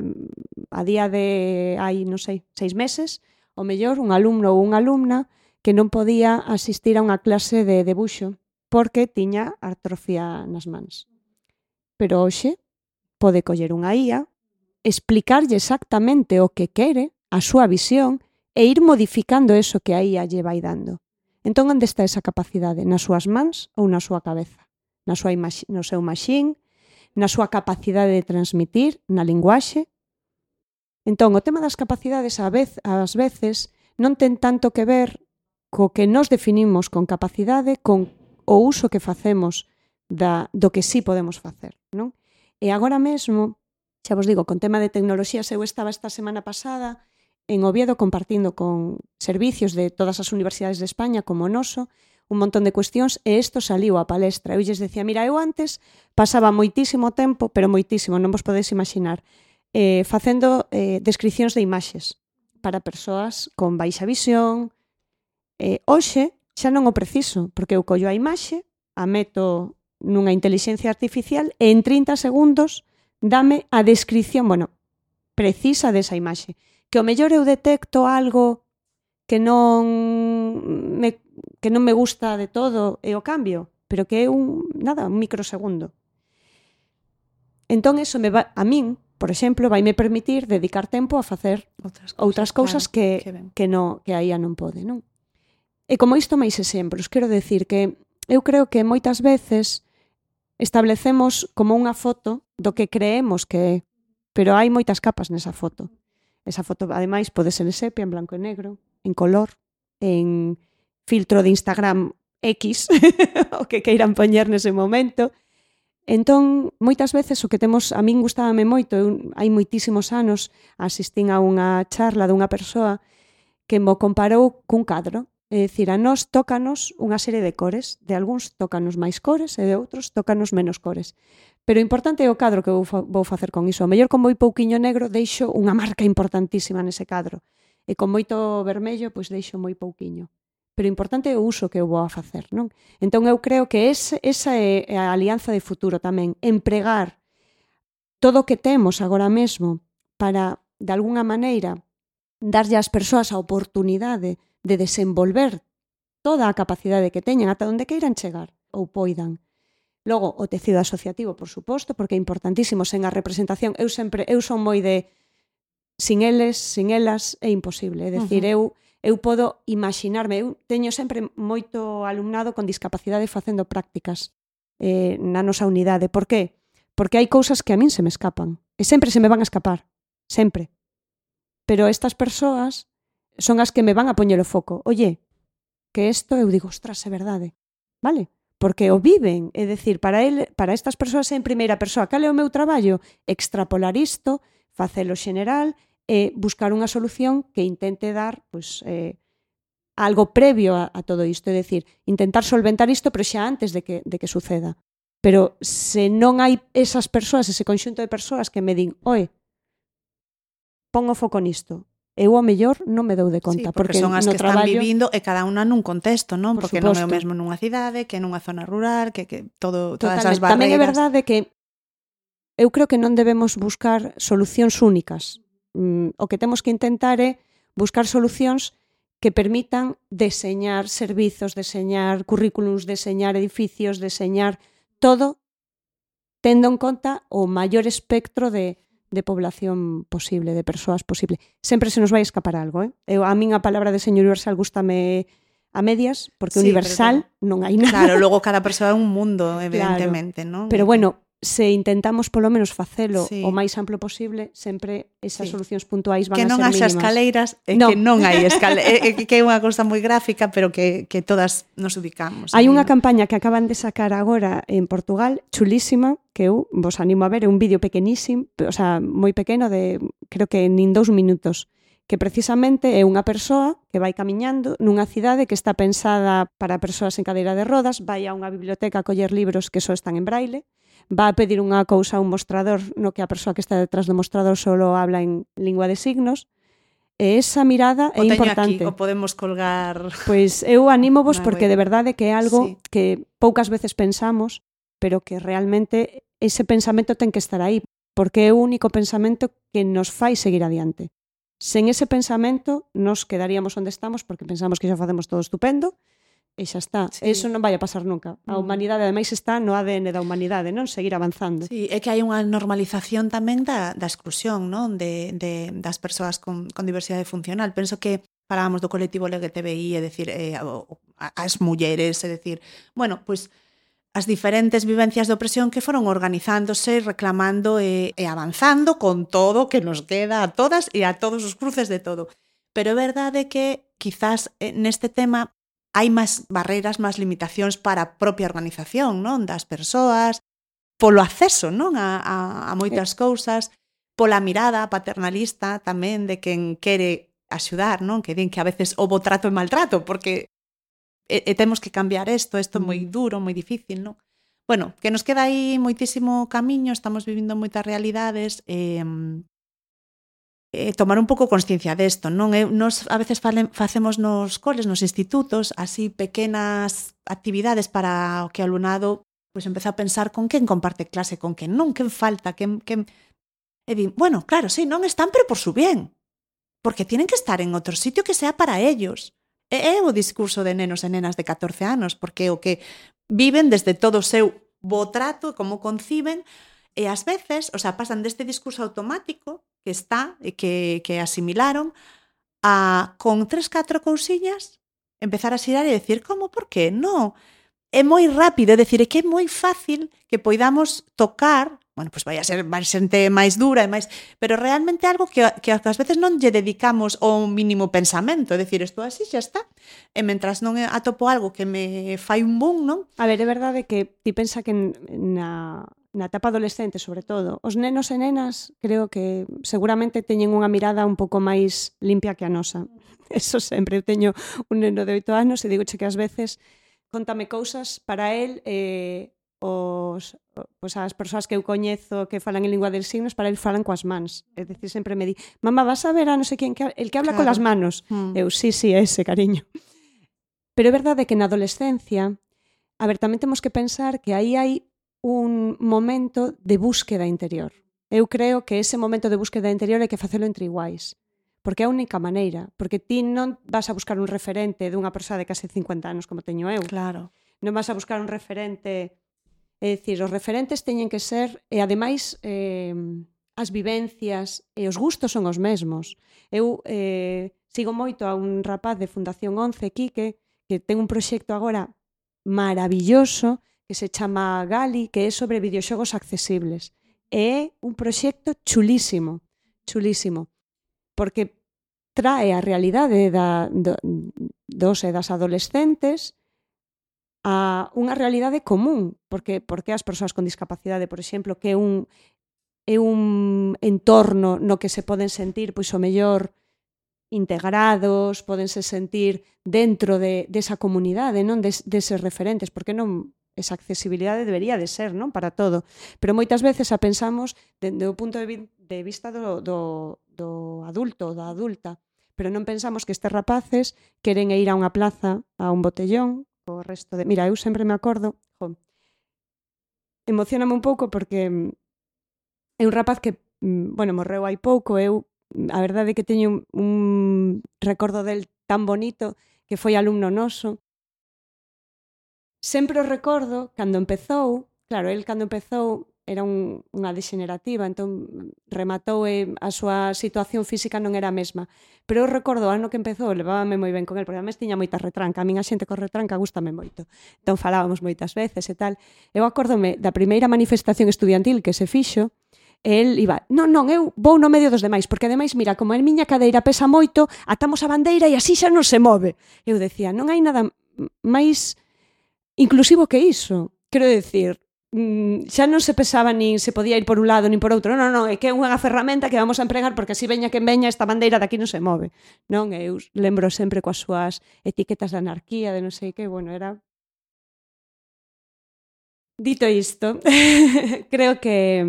a día de hai, non sei, seis meses, o mellor un alumno ou unha alumna que non podía asistir a unha clase de debuxo porque tiña atrofia nas mans. Pero hoxe pode coller unha I A, explicarlle exactamente o que quere, a súa visión, e ir modificando eso que a I A lle vai dando. Entón, onde está esa capacidade? Nas súas mans ou na súa cabeza? Na súa imax- no seu machín? Na súa capacidade de transmitir? Na linguaxe? Entón, o tema das capacidades a vez, ás veces non ten tanto que ver co que nos definimos con capacidade, con o uso que facemos da, do que sí podemos facer, non? E agora mesmo, xa vos digo, con tema de tecnoloxías, eu estaba esta semana pasada en Oviedo compartindo con servicios de todas as universidades de España como o noso, un montón de cuestións, e isto saliu á palestra. Eu lles decía, mira, eu antes pasaba moitísimo tempo, pero moitísimo, non vos podedes imaginar, eh, facendo eh, descripcións de imaxes para persoas con baixa visión. Eh, hoxe xa non o preciso, porque eu collo a imaxe, a meto nunha inteligencia artificial e en trinta segundos dame a descripción, bueno, precisa desa imaxe. Que o mellor eu detecto algo que non me, que non me gusta de todo e o cambio, pero que é un, nada, un microsegundo. Entón, eso me va, a min, por exemplo, vai me permitir dedicar tempo a facer outras cousas, outras cousas claro, que, que, que, no, que a I A non pode, non? E como isto máis exemplos, quero decir que eu creo que moitas veces establecemos como unha foto do que creemos que é, pero hai moitas capas nesa foto. Esa foto, ademais, pode ser en sepia, en blanco e negro, en color, en filtro de Instagram X, o que queiran poñer nese momento. Entón, moitas veces o que temos, a min gustábame moito, eu, hai moitísimos anos asistín a unha charla dunha persoa que mo comparou cun cadro. É dicir, a nós tócanos unha serie de cores, de algúns tócanos máis cores e de outros tócanos menos cores. Pero o importante é o cadro que vou, fa- vou facer con iso. O mellor con moi pouquiño negro deixo unha marca importantísima nese cadro. E con moito vermello, pois deixo moi pouquiño. Pero o importante é o uso que eu vou a facer, non? Entón eu creo que ese, esa é a alianza de futuro tamén. Empregar todo o que temos agora mesmo para, de alguna maneira, darlle ás persoas a oportunidade de desenvolver toda a capacidade que teñen ata onde queiran chegar ou poidan. Logo, o tecido asociativo, por suposto, porque é importantísimo sen a representación. Eu sempre, eu son moi de sin eles, sin elas, é imposible. É dicir, uh-huh. eu, eu podo imaginarme, eu teño sempre moito alumnado con discapacidade facendo prácticas eh, na nosa unidade. Por qué? Porque hai cousas que a min se me escapan. E sempre se me van a escapar. Sempre. Pero estas persoas son as que me van a poñer o foco. Oye, que isto, eu digo, ostras, é verdade. Vale? Porque o viven, é dicir, para el, para estas persoas en primeira persoa, cal é o meu traballo? Extrapolar isto, facelo xeneral e buscar unha solución que intente dar, pois, eh, algo previo a, a todo isto, é dicir, intentar solventar isto pero xa antes de que, de que suceda. Pero se non hai esas persoas, ese conxunto de persoas que me din, oe, pon o foco nisto, eu ao mellor non me dou de conta. Sí, porque, porque son as no que traballo, están vivindo e cada unha nun contexto, non? Por Porque suposto. Non é o suposto. mesmo nunha cidade que nunha zona rural, que, que todo, todas as Totalmente. barreiras. Tamén é verdade que eu creo que non debemos buscar solucións únicas. Mm, o que temos que intentar é buscar solucións que permitan deseñar servizos, deseñar currículums, deseñar edificios, deseñar todo tendo en conta o maior espectro de de población posible, de persoas posible. Sempre se nos vai escapar algo, eh? Eu, a min a palabra de señor universal gústame a medias, porque Sí, universal pero, non hai nada. Claro, logo cada persoa é un mundo, evidentemente, claro. non? Pero bueno, se intentamos polo menos facelo sí. o máis amplo posible, sempre esas sí. solucións puntuais van que a ser non haxa mínimas. escaleiras, é no. que non hai escaleiras, que é unha cousa moi gráfica, pero que, que todas nos ubicamos. Hai unha ¿no? campaña que acaban de sacar agora en Portugal, chulísima, que eu vos animo a ver, é un vídeo pequenísimo, o sea, moi pequeno, de creo que nin dous minutos, que precisamente é unha persoa que vai camiñando nunha cidade que está pensada para persoas en cadeira de rodas, vai a unha biblioteca a coller libros que só están en braille, va a pedir unha cousa a un mostrador no que a persoa que está detrás do mostrador solo habla en lingua de signos, e esa mirada o é importante. Aquí, o podemos colgar... Pois eu anímovos Na porque web. de verdade que é algo sí. que poucas veces pensamos, pero que realmente ese pensamento ten que estar aí, porque é o único pensamento que nos fai seguir adiante. Sen ese pensamento nos quedaríamos onde estamos porque pensamos que xa facemos todo estupendo, e xa está. Sí. Eso non vai a pasar nunca. A humanidade, ademais, está no A D N da humanidade, non? Seguir avanzando. Sí, é que hai unha normalización tamén da, da exclusión, non? De, de, das persoas con, con diversidade funcional. Penso que falábamos do colectivo L G T B I, é dicir, eh, as mulleres, é dicir, bueno, pois as diferentes vivencias de opresión que foron organizándose, reclamando e, e avanzando con todo que nos queda a todas e a todos os cruces de todo. Pero é verdade que quizás neste tema hai máis barreiras, máis limitacións para a propia organización, non? Das persoas, polo acceso, non? A, a, a moitas cousas, pola mirada paternalista tamén de quen quere axudar, non? Que din que a veces houbo trato e maltrato, porque e, e temos que cambiar isto, isto é moi duro, moi difícil, non? Bueno, que nos queda aí moitísimo camiño, estamos vivindo moitas realidades, e... Eh, Eh, tomar un pouco consciencia desto, non? Eh, nos a veces fale, facemos nos coles, nos institutos, así pequenas actividades para o que o alumnado pois empeza a pensar con quen comparte clase, con quen non, quen falta, quen, quen... E di, bueno, claro, sí, non están, pero por su bien, porque tienen que estar en outro sitio que sea para ellos. E é o discurso de nenos e nenas de catorce anos, porque o que viven desde todo o seu bo trato, como conciben, e ás veces, o sea, pasan deste discurso automático que está e que, que asimilaron a, con tres, catro cousiñas, empezar a xirar e decir, como, por que? No, é moi rápido, é dicir, é que é moi fácil que poidamos tocar, bueno, pois vai a ser máis xente máis dura e máis, pero realmente algo que, que ás veces non lle dedicamos o mínimo pensamento, é dicir, isto así xa está, e mentras non atopo algo que me fai un boom, non? A ver, é verdade que ti pensa que na... na etapa adolescente, sobre todo, os nenos e nenas creo que seguramente teñen unha mirada un pouco máis limpia que a nosa. Eso sempre. Eu teño un neno de oito anos e digo che que ás veces contame cousas para él eh, os, pues as persoas que eu coñezo que falan en lingua de signos, para él falan coas mans. É dicir, sempre me di, mamá, vas a ver a non sei quen, que, el que habla claro. con las manos. Mm. Eu, sí, sí, ese, cariño. Pero é verdade que na adolescencia, a ver, tamén temos que pensar que aí hai un momento de búsqueda interior. Eu creo que ese momento de búsqueda interior hai que facelo entre iguais, porque é a única maneira, porque ti non vas a buscar un referente dunha persoa de case cincuenta anos como teño eu. Claro. Non vas a buscar un referente, é dicir, os referentes teñen que ser, e ademais eh, as vivencias e os gustos son os mesmos. Eu eh, sigo moito a un rapaz de Fundación once, Quique, que ten un proxecto agora maravilloso que se chama Gali, que é sobre videoxogos accesibles. É un proxecto chulísimo, chulísimo, porque trae a realidade da, do, dos e das adolescentes a unha realidade común, porque porque as persoas con discapacidade, por exemplo, que é un é un entorno no que se poden sentir, pois o mellor integrados, podense sentir dentro de, desa comunidade, non? Des, deses referentes, porque non esa accesibilidade debería de ser, non? Para todo. Pero moitas veces a pensamos dende o punto de, vi, de vista do, do, do adulto, da adulta, pero non pensamos que estes rapaces queren ir a unha plaza, a un botellón, o resto de... Mira, eu sempre me acordo, jo, emocioname un pouco porque é un rapaz que, bueno, morreu hai pouco, eu a verdade é que teño un, un recordo del tan bonito que foi alumno noso. Sempre o recordo cando empezou, claro, el cando empezou era un, unha degenerativa, entón rematou e a súa situación física non era a mesma. Pero eu recordo o ano que empezou, levábame moi ben con el, porque además tiña moita retranca, a min a xente con retranca gústame moito. Entón falábamos moitas veces e tal. Eu acórdome da primeira manifestación estudiantil que se fixo, e el iba, non, non, eu vou no medio dos demais, porque ademais, mira, como a miña cadeira pesa moito, atamos a bandeira e así xa non se move. Eu decía, non hai nada máis inclusivo que iso. Quero decir, xa non se pesaba nin se podía ir por un lado nin por outro. Non, non, non, é que é unha ferramenta que vamos a empregar porque así veña quen veña esta bandeira daqui non se move. Non, eu lembro sempre coas súas etiquetas de anarquía, de non sei que, bueno, era... Dito isto, creo que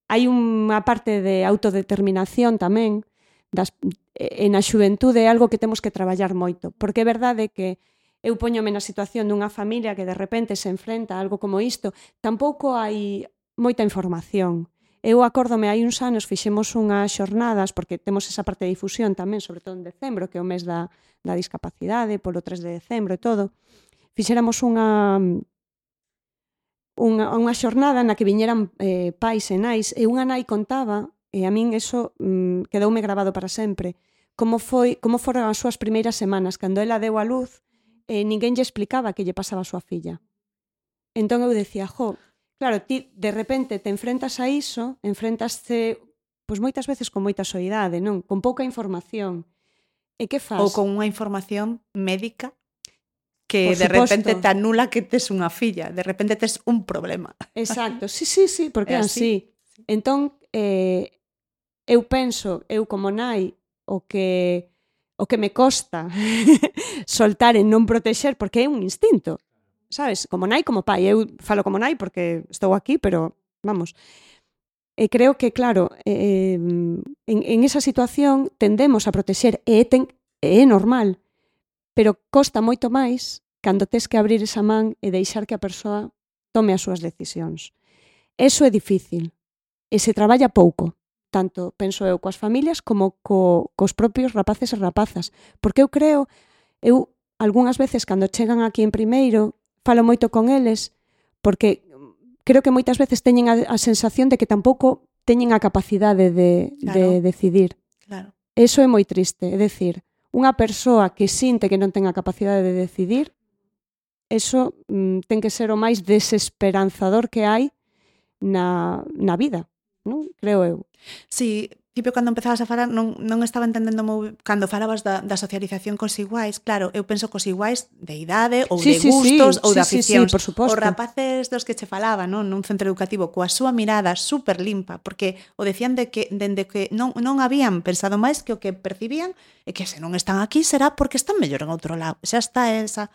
hai unha parte de autodeterminación tamén das, en a xuventude é algo que temos que traballar moito, porque é verdade que eu poñome na situación dunha familia que de repente se enfrenta a algo como isto, tampouco hai moita información. Eu acórdome, hai uns anos fixemos unhas xornadas, porque temos esa parte de difusión tamén, sobre todo en decembro, que é o mes da, da discapacidade, polo tres de decembro e todo, fixéramos unha... Unha, unha xornada na que viñeran eh, pais e nais, e unha nai contaba, e a min eso mm, quedoume grabado para sempre, como foi como foron as súas primeiras semanas, cando ela deu a luz, e eh, ninguén lle explicaba que lle pasaba a súa filla. Entón eu decía, jo, claro, ti de repente te enfrentas a iso, enfrentaste, pois moitas veces con moita soidade, non? Con pouca información. E que faz? Ou con unha información médica que Por de suposto. repente te anula que tes unha filla, de repente tes un problema. Exacto, sí, sí, sí, porque é así. así. Entón, eh, eu penso, eu como nai, o que o que me costa soltar en non protexer, porque é un instinto, sabes? Como nai, como pai. Eu falo como nai porque estou aquí, pero, vamos... E creo que, claro, eh, en, en esa situación tendemos a protexer, e é, ten, é normal, pero costa moito máis cando tes que abrir esa man e deixar que a persoa tome as súas decisións. Eso é difícil e se traballa pouco, tanto, penso eu, coas familias como co, cos propios rapaces e rapazas, porque eu creo, eu algunhas veces cando chegan aquí en primeiro, falo moito con eles, porque creo que moitas veces teñen a, a sensación de que tampouco teñen a capacidade de, claro. de decidir. Claro. Eso é moi triste, é dicir, unha persoa que sinte que non ten a capacidade de decidir, eso mm, ten que ser o máis desesperanzador que hai na, na vida, non? Creo eu. Sí, tipo, cando empezabas a falar non, non estaba entendendo moi... Cando falabas da, da socialización cos iguais, claro, eu penso cos iguais de idade ou sí, de sí, gustos sí, ou sí, de Sí, aficións. sí, por suposto. Os rapaces dos que che falaba, non, nun centro educativo, coa súa mirada super limpa, porque o decían de que dende que non, non habían pensado máis que o que percibían e que se non están aquí será porque están mellor en outro lado. Xa está esa...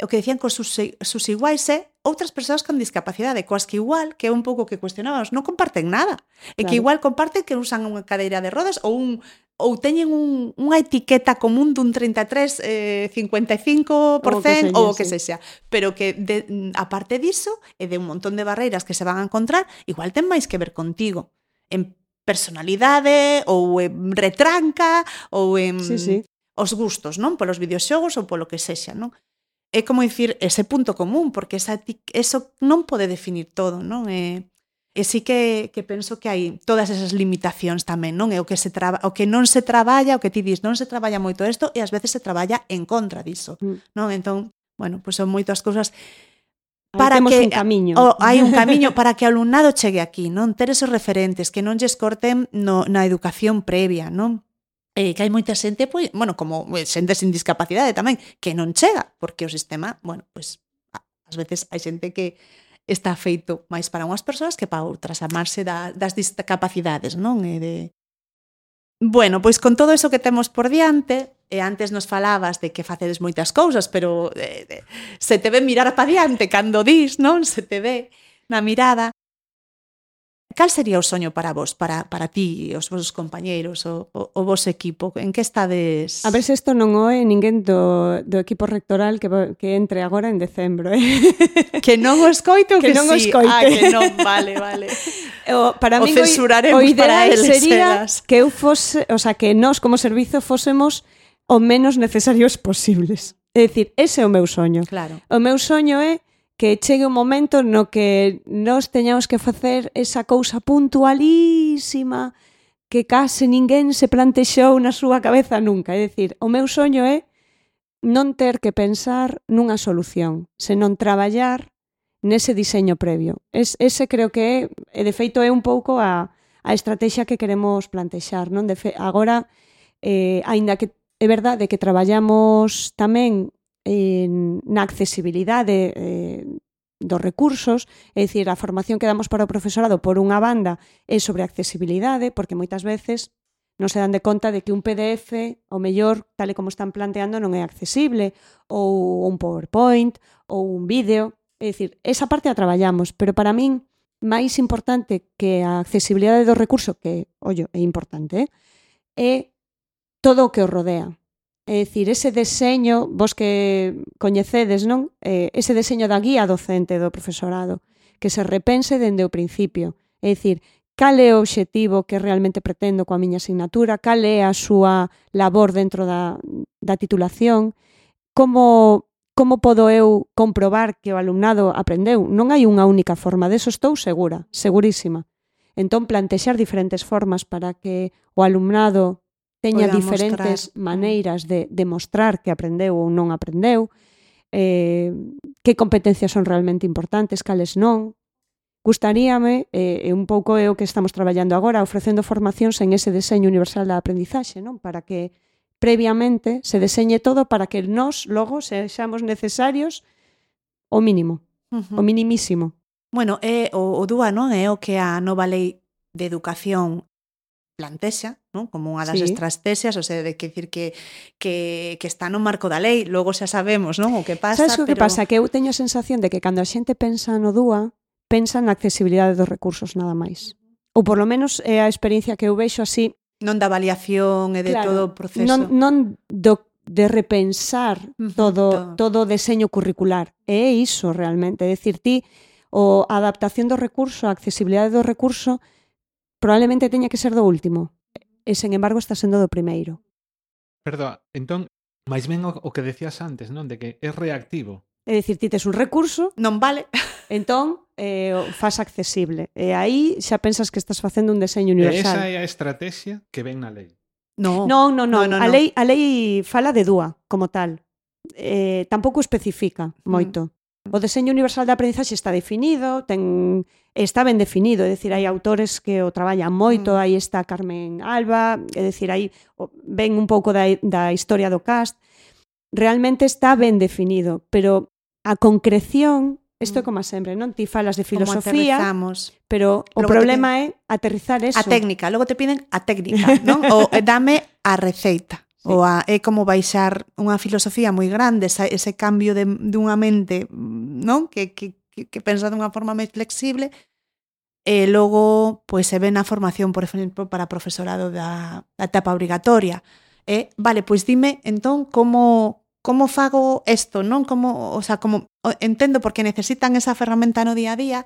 O que decían cos sus, sus iguais é outras persoas con discapacidade, coas que igual, que é un pouco que cuestionábamos, non comparten nada. E claro. Que igual comparten que usan unha cadeira de rodas ou un ou teñen un, unha etiqueta común dun trinta e tres, eh, cincuenta e cinco por cento ou o que sexa. Pero que, de, aparte diso, e de un montón de barreiras que se van a encontrar, igual ten máis que ver contigo. En personalidade, ou en retranca, ou en sí, sí. os gustos, non? Polos videoxogos ou polo que sexa, non? É como dicir ese punto común, porque esa, eso non pode definir todo, non? E, e sí que, que penso que hai todas esas limitacións tamén, non? É o que, se traba, o que non se traballa, o que ti dis, non se traballa moito isto e ás veces se traballa en contra diso, mm. non? Entón, bueno, pois son moitas cousas para que un camiño. O, hai un camiño para que o alumnado chegue aquí, non? Ter esos referentes que non lles corten no, na educación previa, non? Eh, que hai moita xente, pois, bueno, como xente sin discapacidade tamén, que non chega, porque o sistema, bueno, pois, ás veces hai xente que está feito máis para unhas persoas que para outras, amarse da, das discapacidades, non? E de, Bueno, pois con todo eso que temos por diante, e antes nos falabas de que facedes moitas cousas, pero eh, eh, se te ve mirar pa diante cando dis, non? Se te ve na mirada. Cal sería o soño para vos, para, para ti, os vosos compañeiros, o, o, o vos equipo? En que estades? A ver se isto non oe ninguén do, do equipo rectoral que, que entre agora en decembro, eh? Que non o escoite ou que, que non o sí? escoite. Ah, que non, vale, vale. O, para o mí censuraremos o ideal para eles, sería eras. que eu fose, o sea, que nós como servizo fósemos o menos necesarios posibles. É dicir, ese é o meu soño. Claro. O meu soño é que chegue un momento no que nós teñamos que facer esa cousa puntualísima que case ninguén se plantexou na súa cabeza nunca. É dicir, o meu soño é non ter que pensar nunha solución, senón traballar nese diseño previo. Es, ese creo que é, de feito, é un pouco a, a estrategia que queremos plantexar. Non? De fe, agora, eh, aínda que é verdade que traballamos tamén en, na accesibilidade eh, dos recursos, é dicir, a formación que damos para o profesorado por unha banda é sobre accesibilidade, porque moitas veces non se dan de conta de que un P D F, o mellor, tal e como están planteando, non é accesible, ou un PowerPoint, ou un vídeo. É dicir, esa parte a traballamos, pero para min, máis importante que a accesibilidade do recurso, que, ollo, é importante, é todo o que o rodea. É dicir, ese deseño, vos que coñecedes, non? Eh, ese deseño da guía docente do profesorado, que se repense dende o principio. É dicir, cal é o obxectivo que realmente pretendo coa miña asignatura, cal é a súa labor dentro da, da titulación, como, como podo eu comprobar que o alumnado aprendeu. Non hai unha única forma, deso estou segura, segurísima. Entón, plantexar diferentes formas para que o alumnado teña Poida diferentes mostrar. maneiras de demostrar que aprendeu ou non aprendeu, eh, que competencias son realmente importantes, cales non. Gustaríame, e eh, un pouco é o que estamos traballando agora, ofrecendo formacións en ese deseño universal da aprendizaxe, non? Para que previamente se deseñe todo para que nós logo sexamos necesarios o mínimo, Uh-huh. o minimísimo. Bueno, é o, o D U A, non? É o que a nova lei de educación plantexa, non? Como unha das Sí. estrategias, o sea, de que decir que, que, que está no marco da lei, logo xa sabemos, non? O que pasa, Sabes o que pero... pasa? Que eu teño a sensación de que cando a xente pensa no D U A, pensa na accesibilidade dos recursos nada máis. Ou por lo menos é a experiencia que eu vexo así. Non da avaliación e de Claro, todo o proceso. Non, non do, de repensar Ujú, todo, todo. todo o deseño curricular. É iso realmente. É dicir, ti, o a adaptación do recurso, a accesibilidade do recurso, probablemente teña que ser do último. E, sen embargo, está sendo do primeiro. Perdón, entón, máis ben o, o que decías antes, non? De que é reactivo. É dicir, ti tes un recurso, Non vale. entón, eh, o faz accesible. E aí xa pensas que estás facendo un deseño E esa universal. é a estrategia que ven na lei. No. Non, non, non. No, no, A, no. lei, a lei fala de D U A como tal. Eh, tampouco especifica moito. O deseño universal de aprendizaxe está definido, ten está ben definido, é dicir, hai autores que o traballan moito, Mm. aí está Carmen Alba, é dicir, aí o, ven un pouco da, da historia do cast. Realmente está ben definido, pero a concreción, isto é Mm. como sempre, non? Ti falas de Como filosofía, aterrizamos. pero o Logo te problema é aterrizar eso. A técnica, logo te piden a técnica, non? O eh, dame a receita. Sí. Ou a, é como baixar unha filosofía moi grande, esa, ese cambio de, dunha mente, non? Que, que, que, que pensa dunha forma máis flexible, e logo pois, se ve na formación, por exemplo, para profesorado da, da etapa obrigatoria. E, vale, pois dime, entón, como, como fago isto, non? Como, o sea, como, entendo porque necesitan esa ferramenta no día a día,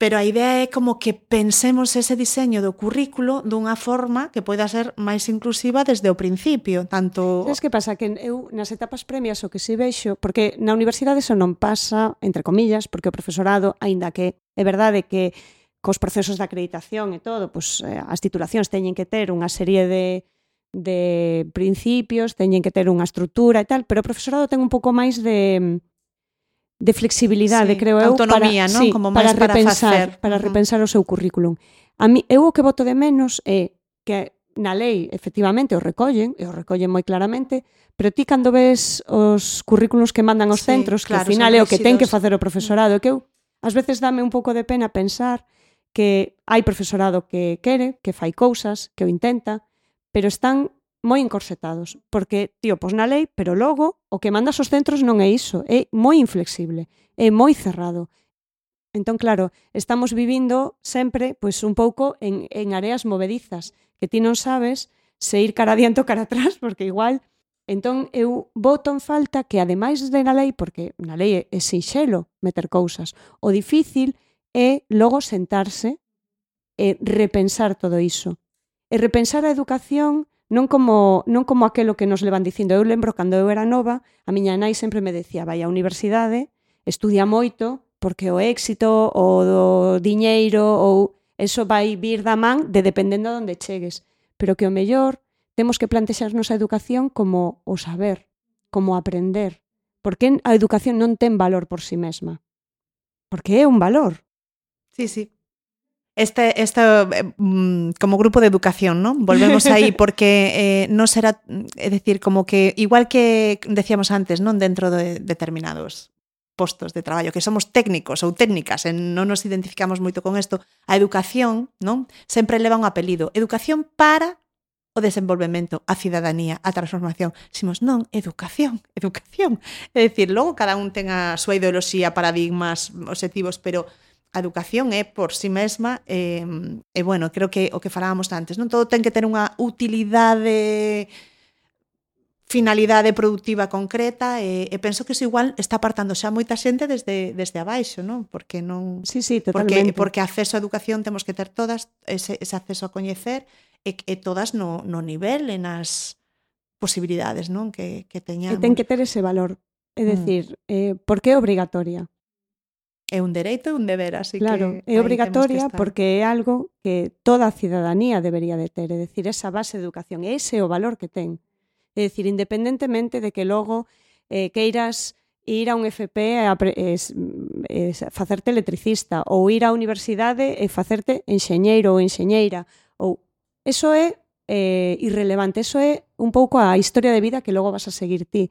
pero a idea é como que pensemos ese diseño do currículo dunha forma que poida ser máis inclusiva desde o principio, tanto... Sabes que pasa? Que eu nas etapas premias o que si vexo, porque na universidade eso non pasa, entre comillas, porque o profesorado, aínda que é verdade que cos procesos de acreditación e todo, pues, as titulacións teñen que ter unha serie de, de principios, teñen que ter unha estrutura e tal, pero o profesorado ten un pouco máis de... de flexibilidade, Sí, creo eu, autonomía, para, non? sí, Como para máis para repensar, facer. para Ujú. repensar o seu currículum. A mí, eu o que voto de menos é que na lei, efectivamente, o recollen, e o recollen moi claramente, pero ti cando ves os currículos que mandan aos Sí, centros, claro, que ao final son é o que ten que rígidos. facer o profesorado, que eu, ás veces dame un pouco de pena pensar que hai profesorado que quere, que fai cousas, que o intenta, pero están moi encorsetados, porque, tío, pos na lei, pero logo o que mandas aos centros non é iso, é moi inflexible, é moi cerrado. Entón, claro, estamos vivindo sempre pois, un pouco en, en areas movedizas, que ti non sabes se ir cara adiante ou cara atrás, porque igual... Entón, eu boto en falta que, ademais de na lei, porque na lei é, é sinxelo meter cousas, o difícil é logo sentarse e repensar todo iso. E repensar a educación non como, non como aquelo que nos levan dicindo. Eu lembro cando eu era nova, a miña nai sempre me decía, vai á universidade, estudia moito, porque o éxito, o do diñeiro, ou eso vai vir da man de dependendo de onde chegues. Pero que o mellor temos que plantexarnos a educación como o saber, como aprender. Porque a educación non ten valor por si mesma. Porque é un valor. Sí, sí. Este, este mm, como grupo de educación, ¿no? Volvemos aí porque eh, non será, é dicir, como que igual que decíamos antes, non, dentro de determinados postos de traballo, que somos técnicos ou técnicas, e non nos identificamos moito con isto, a educación, non, sempre leva un apelido. Educación para o desenvolvemento, a cidadanía, a transformación. Ximos, non, educación, educación. É dicir, logo cada un ten a súa ideoloxía, paradigmas, obxectivos, pero a educación é por si mesma e, e bueno, creo que o que falábamos antes, non todo ten que ter unha utilidade, finalidade productiva concreta e, e penso que iso igual está apartando xa moita xente desde, desde abaixo, non? Porque non sí, sí, totalmente. Porque, porque acceso á educación temos que ter todas, ese, ese acceso a coñecer e, e todas no, no nivel e nas posibilidades, non? Que, que teñamos. E ten que ter ese valor, é dicir, mm. eh, porque é obrigatoria. É un dereito e un deber, así claro, que... é obrigatoria porque é algo que toda a cidadanía debería de ter, é dicir, esa base de educación, ese é o valor que ten. É dicir, independentemente de que logo eh, queiras ir a un F P e es, es, facerte electricista ou ir á universidade e facerte enxeñeiro ou enxeñeira, ou eso é eh, irrelevante, eso é un pouco a historia de vida que logo vas a seguir ti.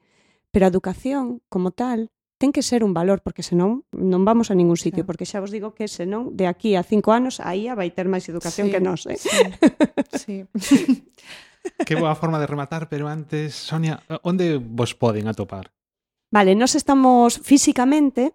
Pero a educación, como tal, ten que ser un valor, porque senón non vamos a ningún sitio, claro. Porque xa vos digo que senón de aquí a cinco anos a I A vai ter máis educación sí, que nós. Eh? Sí, sí. Que boa forma de rematar, pero antes, Sonia, onde vos poden atopar? Vale, nós estamos físicamente,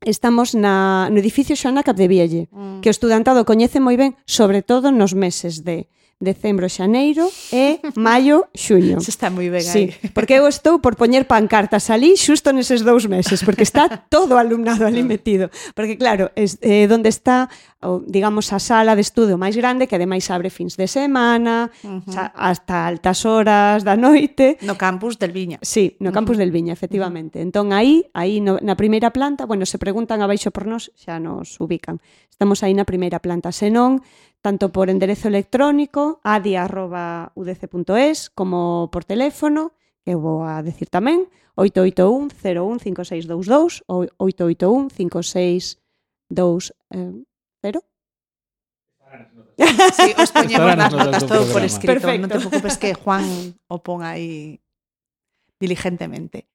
estamos na, no edificio Xoana Capdevielle, mm. que o estudantado coñece moi ben, sobre todo nos meses de decembro, xaneiro e maio, xuño. Se está moi ben sí, aí. Porque eu estou por poñer pancartas ali xusto neses dous meses, porque está todo o alumnado ali metido. Porque claro, es eh, donde está, o, digamos, a sala de estudo máis grande, que ademais abre fins de semana, uh -huh. hasta altas horas da noite. No campus del Viña. Sí, no campus uh -huh. del Viña, efectivamente. Uh -huh. Entón aí, aí no, na primeira planta, bueno, se preguntan abaixo por nós, xa nos ubican. Estamos aí na primeira planta, senón tanto por enderezo electrónico adi arroba u d c punto es como por teléfono, que vou a decir tamén, oito oito un cero un cinco seis dous dous ou oito oito un cinco seis dous cero. Sí, os poñemos nas notas todo por escrito. Perfecto. Non te preocupes que Juan o pon aí diligentemente.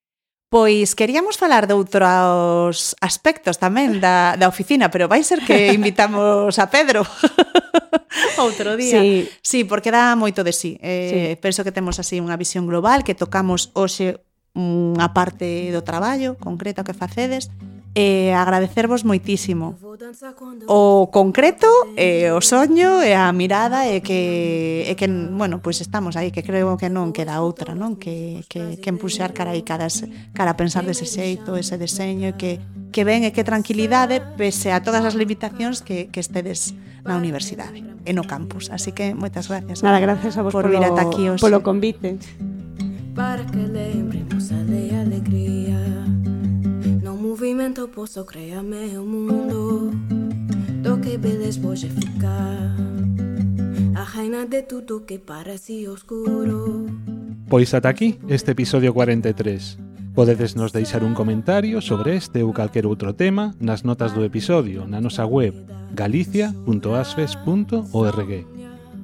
Pois queríamos falar de outros aspectos tamén da, da oficina, pero vai ser que invitamos a Pedro outro día. Sí. Sí, porque dá moito de sí. Eh, sí. Penso que temos así unha visión global, que tocamos hoxe unha parte do traballo concreto que facedes. E agradecervos moitísimo o concreto, e o soño e a mirada e que, e que bueno, pois pues estamos aí, que creo que non queda outra, non? Que, que, que empuxar cara aí, cara, cara a pensar dese xeito, ese deseño, e que, que ven e que tranquilidade pese a todas as limitacións que, que estedes na universidade e no campus. Así que moitas gracias. Nada, gracias a vos por polo, vir ata aquí hoxe. Polo convite. Para que lembremos a de alegría. Movimento posso créame o mundo do que vedes voxe ficar a reina de tudo que parece oscuro. Pois ata aquí este episodio cuarenta e tres. Podedes nos deixar un comentario sobre este ou calquer outro tema nas notas do episodio na nosa web galicia punto asfes punto org.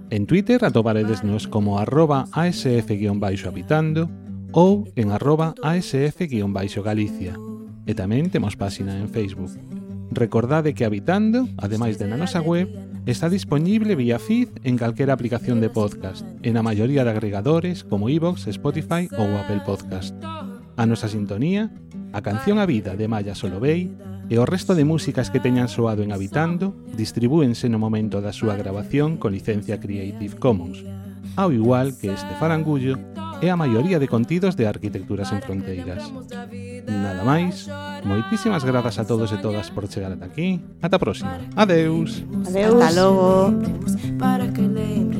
En Twitter atoparedesnos como arroba asf guión baixo habitando ou en arroba asf guión baixo galicia. E tamén temos páxina en Facebook. Recordade que Habitando, ademais de na nosa web, está disponible vía feed en calquera aplicación de podcast, e na maioría de agregadores como iVoox, Spotify ou Apple Podcast. A nosa sintonía, a canción A Vida de Maya Solovey e o resto de músicas que teñan soado en Habitando distribúense no momento da súa grabación con licencia Creative Commons, ao igual que este farangullo e a maioría de contidos de Arquitecturas en Fronteiras. Nada máis, moitísimas grazas a todos e todas por chegar ata aquí. Ata a próxima. Adeus. Adeus. Hasta logo. Para que le